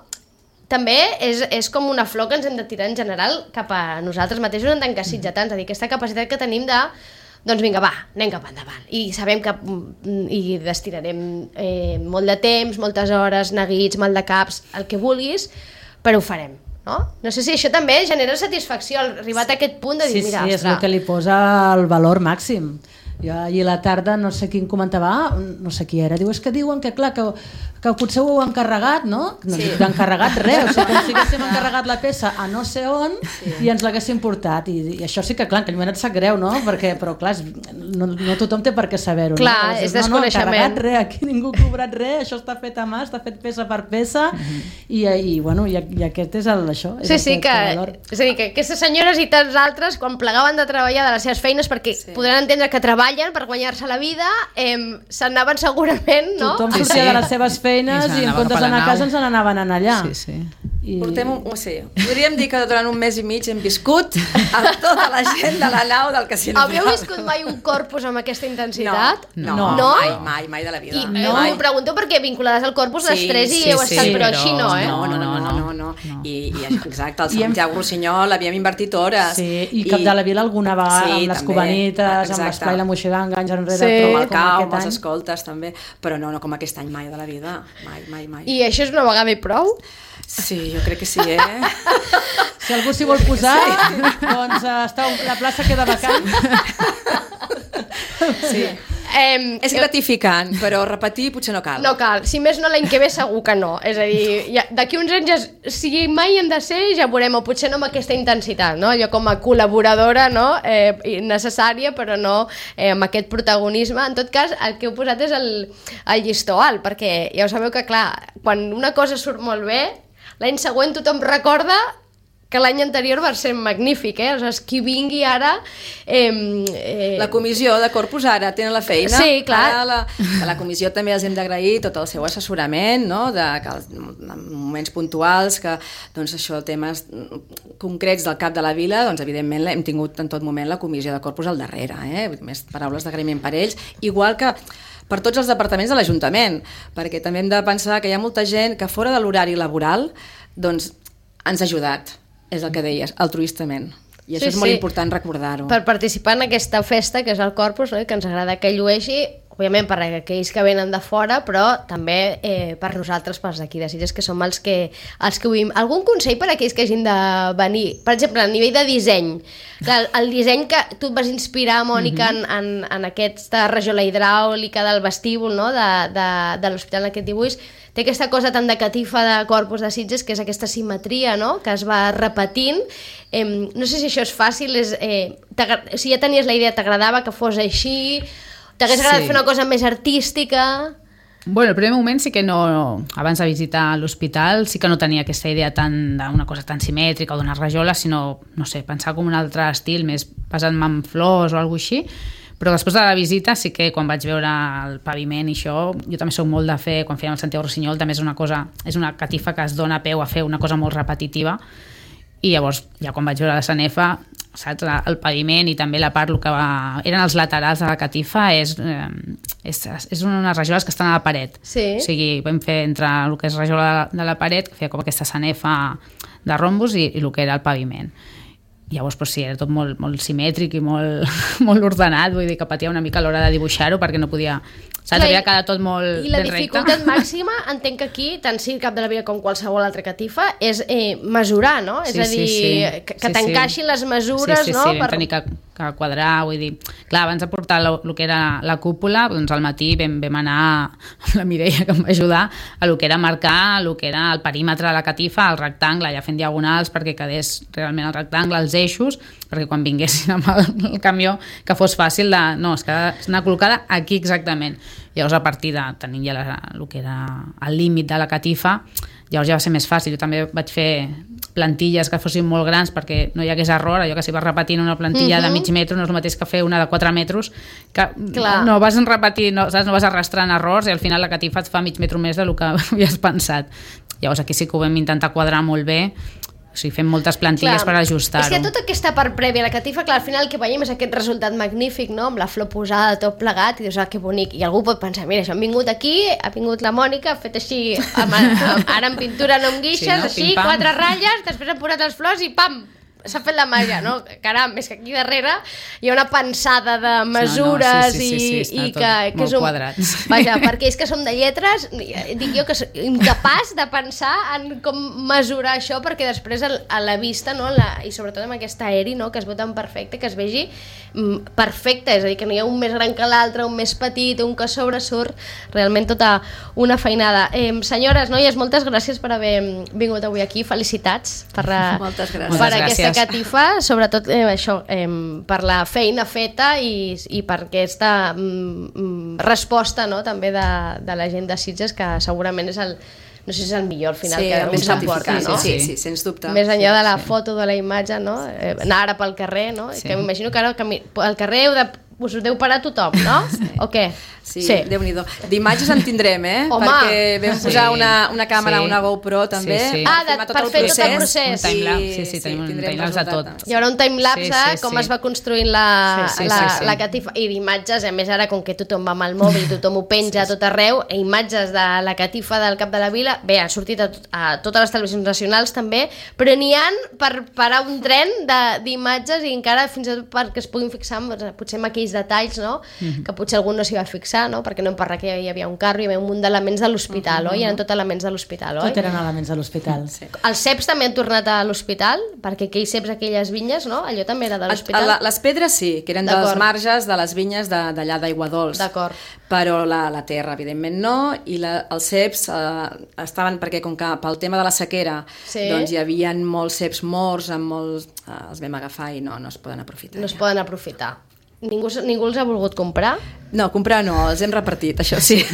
Speaker 2: També és, és com una flor que ens hem de tirar en general cap a nosaltres mateixos en tant que sitgetans, és a dir, aquesta capacitat que tenim de, doncs vinga, va, anem cap endavant. I sabem que mm, hi destinarem eh, molt de temps, moltes hores, neguits, mal de caps, el que vulguis, però ho farem. No? No sé si això també genera satisfacció, arribat a aquest punt de dir,
Speaker 4: Sí,
Speaker 2: mira,
Speaker 4: sí, és el que li posa el valor màxim. Jo ahir a la tarda, no sé qui em comentava, ah, no sé qui era, diu, és que diuen que clar, que, que potser ho heu encarregat, no? No
Speaker 5: Sí.
Speaker 4: sí. encarregat res, o sigui, com si haguéssim encarregat la peça a no sé on sí. i ens l'haguéssim portat. I, I això sí que, clar, en aquell moment et sap greu, no? Perquè, però, clar, és, no, no tothom té per què saber-ho.
Speaker 2: Clar,
Speaker 4: no?
Speaker 2: és
Speaker 4: no, no,
Speaker 2: desconeixement.
Speaker 4: encarregat res, aquí ningú ha cobrat res, això està fet a mà, està fet peça per peça, mm-hmm. i, i, bueno, i, i aquest és el, això. És
Speaker 2: Sí,
Speaker 4: el
Speaker 2: sí, que,
Speaker 4: valor.
Speaker 2: és a dir, que aquestes senyores i tants altres, quan plegaven de treballar de les seves feines, perquè sí. podran entendre que treballen per guanyar-se la vida, eh, se'n anaven segurament, no?
Speaker 4: Tothom
Speaker 3: Sí,
Speaker 4: sortia
Speaker 3: sí.
Speaker 4: de les seves feines
Speaker 3: I se
Speaker 4: i, en
Speaker 3: n'anava
Speaker 4: comptes
Speaker 3: cap a la
Speaker 4: d'anar a
Speaker 3: nau.
Speaker 4: casa ens n'anaven a anar allà.
Speaker 3: Sí, sí.
Speaker 4: I...
Speaker 5: Portem un, un, sí, podríem dir que durant un mes i mig hem viscut amb tota la gent de la nau del Casino
Speaker 2: Havíeu
Speaker 5: Real.
Speaker 2: viscut mai un corpus amb aquesta intensitat?
Speaker 5: No,
Speaker 3: No.
Speaker 5: no,
Speaker 2: No?
Speaker 5: mai, mai, mai de la vida.
Speaker 2: I
Speaker 5: no.
Speaker 2: eh,
Speaker 5: mai.
Speaker 2: m'ho pregunto perquè vinculades al corpus les
Speaker 5: Sí,
Speaker 2: tres i
Speaker 5: sí,
Speaker 2: heu
Speaker 5: sí,
Speaker 2: estat, però
Speaker 3: però
Speaker 2: així no, eh?
Speaker 5: No, no, no, no, no, no. I, i exacte, el Santiago Rossinyol havíem invertit hores.
Speaker 4: Sí, i Cap de la Vila alguna vegada,
Speaker 5: Sí,
Speaker 4: amb les
Speaker 5: també.
Speaker 4: cubanites, amb
Speaker 5: Exacte.
Speaker 4: l'esplai la moixiganga, anys enrere,
Speaker 2: Sí.
Speaker 4: però
Speaker 5: Amb el
Speaker 4: com
Speaker 5: cau,
Speaker 4: aquest
Speaker 5: amb els
Speaker 4: any.
Speaker 5: escoltes també, però no, no com aquest any mai de la vida, mai, mai, mai.
Speaker 2: I això és una vegada i prou?
Speaker 5: Sí, jo crec que sí, eh?
Speaker 4: Si algú s'hi vol posar, doncs uh, està, la plaça queda vacant.
Speaker 5: Sí.
Speaker 2: Eh,
Speaker 5: És gratificant, però repetir potser no cal.
Speaker 2: No cal, si més no l'any que ve segur que no, és a dir, ja, d'aquí uns anys ja, si mai hem de ser ja veurem, o potser no amb aquesta intensitat, no? Allò com a col·laboradora, no? Eh, necessària, però no eh, amb aquest protagonisme. En tot cas, el que heu posat és el, el llistó alt, perquè ja ho sabeu que, clar, quan una cosa surt molt bé, l'any següent tothom recorda que l'any anterior va ser magnífic, eh? Aleshores, qui vingui ara... Eh, eh...
Speaker 5: La comissió de Corpus ara tenen la feina.
Speaker 2: Sí, clar.
Speaker 5: Ara la, a la comissió també els hem d'agrair tot el seu assessorament, no? De, que, en moments puntuals, que doncs, això, temes concrets del cap de la vila, doncs evidentment hem tingut en tot moment la comissió de Corpus al darrere, eh? Més paraules d'agraïment per ells, igual que per tots els departaments de l'Ajuntament, perquè també hem de pensar que hi ha molta gent que fora de l'horari laboral doncs ens ha ajudat. És el que deies, altruistament. I això
Speaker 2: Sí,
Speaker 5: és molt
Speaker 2: sí.
Speaker 5: important recordar-ho.
Speaker 2: Per participar en aquesta festa, que és el Corpus, no? Que ens agrada que llueixi, òbviament per aquells que venen de fora, però també eh, per nosaltres, pels d'aquí de Sitges, que som els que, els que ho vivim. Algun consell per a aquells que hagin de venir? Per exemple, a nivell de disseny. Clar, el disseny que tu et vas inspirar, Mònica, mm-hmm. en, en, en aquesta rajola hidràulica del vestíbul, no? de, de, de l'hospital en aquest dibuix, té aquesta cosa tan de catifa de Corpus de Sitges, que és aquesta simetria, no? Que es va repetint. Eh, no sé si això és fàcil, és, eh, si ja tenies la idea, t'agradava que fos així, t'hagués agradat
Speaker 3: Sí.
Speaker 2: fer una cosa més artística...
Speaker 3: Bueno, el primer moment sí que no, abans de visitar l'hospital, sí que no tenia aquesta idea tan d'una cosa tan simètrica o d'una rajola, sinó, no sé, pensar com un altre estil, més basant en flors o alguna així. Però després de la visita sí que quan vaig veure el paviment i això, jo també soc molt de fer, quan fèiem el Santiago Rossinyol, també és una cosa, és una catifa que es dona peu a fer una cosa molt repetitiva, i llavors ja quan vaig veure la sanefa, saps, el paviment i també la part que va, eren els laterals de la catifa, és, eh, és, és unes rajoles que estan a la paret.
Speaker 2: Sí.
Speaker 3: O sigui, vam fer entre el que és rajola de la paret, que feia com aquesta sanefa de rombos, i, i el que era el paviment. Llavors, doncs, sí, era tot molt, molt simètric i molt, molt ordenat, vull dir que patia una mica a l'hora de dibuixar-ho perquè no podia... Saps? Havia quedat tot molt
Speaker 2: I la
Speaker 3: ben recte.
Speaker 2: dificultat màxima, entenc que aquí, tant sí el cap de la vila com qualsevol altra catifa, és eh, mesurar, no?
Speaker 3: Sí,
Speaker 2: és a dir,
Speaker 3: sí, sí.
Speaker 2: que, que
Speaker 3: Sí,
Speaker 2: t'encaixin
Speaker 3: sí.
Speaker 2: les mesures,
Speaker 3: sí, sí,
Speaker 2: no?
Speaker 3: Sí, vam tenir que, que quadrar, vull dir... Clar, abans de portar lo, lo que era la cúpula, doncs al matí vam, vam anar amb la Mireia, que em va ajudar, a lo que era marcar, lo que era el perímetre de la catifa, el rectangle, ja fent diagonals perquè quedés realment el rectangle, els eixos, perquè quan vinguessin amb el, el camió que fos fàcil de... No, és que ha d'anar col·locada aquí exactament. Llavors, a partir de tenir ja la, el que era el límit de la catifa, llavors ja va ser més fàcil. Jo també vaig fer plantilles que fossin molt grans perquè no hi hagués error, allò que si vas repetint una plantilla uh-huh. de mig metre no és el mateix que fer una de quatre metres, que
Speaker 2: Clar.
Speaker 3: no vas repetint, no, saps? No vas arrastrant errors i al final la catifa et fa mig metre més del que havies pensat. Llavors aquí sí que ho vam intentar quadrar molt bé. O sigui, fem moltes plantilles
Speaker 2: Clar,
Speaker 3: per ajustar-ho.
Speaker 2: És que tota aquesta part prèvia a la catifa, clar, al final el que veiem és aquest resultat magnífic, no? Amb la flor posada, tot plegat, i dius, ah, que bonic. I algú pot pensar, mira, això han vingut aquí, ha vingut la Mònica, ha fet així, amb, amb, ara en pintura no amb guixes,
Speaker 3: Sí, no?
Speaker 2: així,
Speaker 3: Pim, pam.
Speaker 2: quatre ratlles, després han posat les flors i pam! s'ha fet la màgia, no? Caram, és que aquí darrere hi ha una pensada de mesures
Speaker 3: no, no, sí, sí, sí, sí,
Speaker 2: i,
Speaker 3: sí,
Speaker 2: i que, que és un...
Speaker 3: quadrats.
Speaker 2: Vaja, perquè és que som de lletres, dic jo que soc incapaç de pensar en com mesurar això, perquè després a la vista, no? La, i sobretot amb aquest aeri, no? Que es veu tan perfecte, que es vegi perfecte, és a dir, que no hi ha un més gran que l'altre, un més petit, un que sobresurt, realment tota una feinada. Eh, senyores, noies, moltes gràcies per haver vingut avui aquí, felicitats per,
Speaker 5: moltes gràcies.
Speaker 2: per
Speaker 3: moltes
Speaker 2: aquesta
Speaker 3: gràcies.
Speaker 2: catifa, sobretot eh, això, eh, per la feina feta i, i per aquesta mm, resposta, no? També de, de la gent de Sitges, que segurament és el, no sé si és el millor al final,
Speaker 5: sí,
Speaker 2: que un s'emporta, no?
Speaker 5: Sí, sí, sí, sens dubte.
Speaker 2: Més enllà de la
Speaker 3: sí.
Speaker 2: foto, de la imatge, no? Eh, anar ara pel carrer, no?
Speaker 3: Sí.
Speaker 2: Que m'imagino que ara al carrer heu de, us ho deu parar tothom, no? Sí. O què?
Speaker 5: Sí, sí. Déu-n'hi-do. D'imatges en tindrem, eh?
Speaker 2: Home.
Speaker 5: Perquè vam posar
Speaker 3: Sí.
Speaker 5: una, una càmera,
Speaker 3: Sí.
Speaker 5: una GoPro també.
Speaker 3: Sí, sí.
Speaker 2: Ah, de-
Speaker 5: filmar
Speaker 2: per fer tot el procés.
Speaker 3: Un timelapse, sí, sí,
Speaker 5: Sí,
Speaker 3: tenim un
Speaker 5: tindrem
Speaker 3: timelapse de
Speaker 5: resultat.
Speaker 3: tot.
Speaker 2: Hi haurà un timelapse,
Speaker 3: Sí, sí,
Speaker 2: com
Speaker 3: sí.
Speaker 2: es va construint la,
Speaker 3: Sí, sí,
Speaker 2: la,
Speaker 3: sí, sí.
Speaker 2: la catifa, i d'imatges, a més ara com que tothom va amb el mòbil, tothom ho penja a tot arreu, i imatges de la catifa del Cap de la Vila, bé, ha sortit a, tot, a totes les televisions nacionals també, però n'hi ha per parar un tren de- d'imatges i encara fins i tot perquè es puguin fixar doncs, potser en aquells detalls, no? Mm-hmm. Que potser algú no s'hi va fixar, no? Perquè no em parla que hi havia un carro, hi havia un munt d'elements de l'hospital, mm-hmm. oi? Eren tot elements de l'hospital, oi?
Speaker 4: Tot eren elements de l'hospital.
Speaker 5: Sí.
Speaker 2: Els ceps també han tornat a l'hospital, perquè aquells ceps, aquelles vinyes, no? Allò també era de l'hospital.
Speaker 5: La, les pedres sí, que eren dels
Speaker 2: D'acord.
Speaker 5: marges de les vinyes de- d'allà d'Aigua Dols.
Speaker 2: D'acord.
Speaker 5: Però la, la terra, evidentment, no, i la, els ceps eh, estaven, perquè com que pel tema de la sequera,
Speaker 2: Sí.
Speaker 5: doncs hi havia molts ceps morts, amb molts, eh, els vam agafar i no, no es poden aprofitar.
Speaker 2: No es
Speaker 5: ja.
Speaker 2: poden aprofitar. Ningú, ningú els ha volgut comprar?
Speaker 5: No, comprar no, els hem repartit, això sí.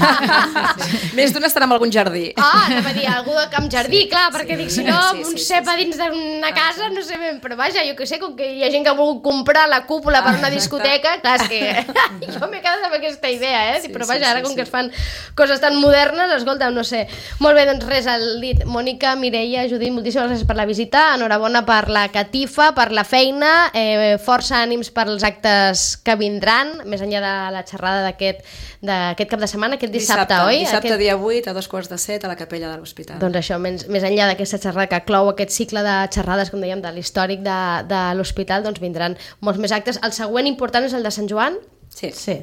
Speaker 5: Més d'un estarà en algun jardí.
Speaker 2: Ah, anava a dir, algú de Camp Jardí, sí, clar, perquè dic, si no,
Speaker 5: Sí, sí,
Speaker 2: un
Speaker 5: sí,
Speaker 2: cep
Speaker 5: sí,
Speaker 2: a dins d'una casa, no sé ben, però vaja, jo que sé, com que hi ha gent que ha volgut comprar la cúpula per una discoteca, clar, és que jo m'he quedat amb aquesta idea, eh?
Speaker 5: Sí,
Speaker 2: Però
Speaker 5: sí,
Speaker 2: vaja, ara
Speaker 5: sí,
Speaker 2: com
Speaker 5: sí.
Speaker 2: que es fan coses tan modernes, escolta, no sé. Molt bé, doncs res, el dit. Mònica, Mireia, Judit, moltíssimes gràcies per la visita, enhorabona per la catifa, per la feina, eh, força ànims per als actes que vindran, més enllà de la xerrada d'aquest d'aquest cap de setmana, aquest dissabte,
Speaker 5: dissabte
Speaker 2: oi?
Speaker 5: Dissabte,
Speaker 2: aquest...
Speaker 5: dia vuit, a dos quarts de set, a la capella de l'hospital.
Speaker 2: Doncs això, més, més enllà d'aquesta xerrada que clou aquest cicle de xerrades, com dèiem, de l'històric de, de l'hospital, doncs vindran molts més actes. El següent important és el de Sant Joan,
Speaker 5: Sí.
Speaker 4: Sí,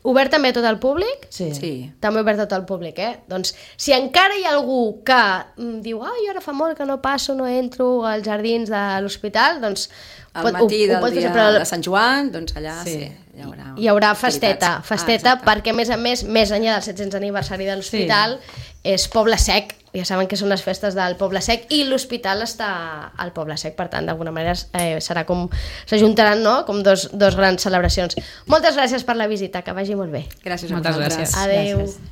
Speaker 2: obert també a tot el públic?
Speaker 4: sí.
Speaker 5: Sí.
Speaker 2: També obert a tot el públic, eh? Doncs si encara hi ha algú que mm, diu ai, ara fa molt que no passo, no entro als jardins de l'hospital, doncs
Speaker 5: Al matí
Speaker 2: ho, ho
Speaker 5: del
Speaker 2: pot
Speaker 5: dia
Speaker 2: fer, però
Speaker 5: de Sant Joan, doncs allà sí,
Speaker 4: Sí.
Speaker 5: hi haurà
Speaker 2: hi haurà festeta,
Speaker 5: activitats.
Speaker 2: festeta
Speaker 5: Ah, exacte.
Speaker 2: perquè a més a més, més enllà del set-cents aniversari de l'hospital, és Poble Sec, ja saben que són les festes del Poble Sec i l'hospital està al Poble Sec, per tant d'alguna manera eh, serà com s'ajuntaran, no? Com dos, dos grans celebracions. Moltes gràcies per la visita, que vagi molt bé.
Speaker 5: Gràcies a
Speaker 3: Moltes
Speaker 5: vosaltres.
Speaker 3: gràcies.
Speaker 2: Adéu.
Speaker 4: Gràcies.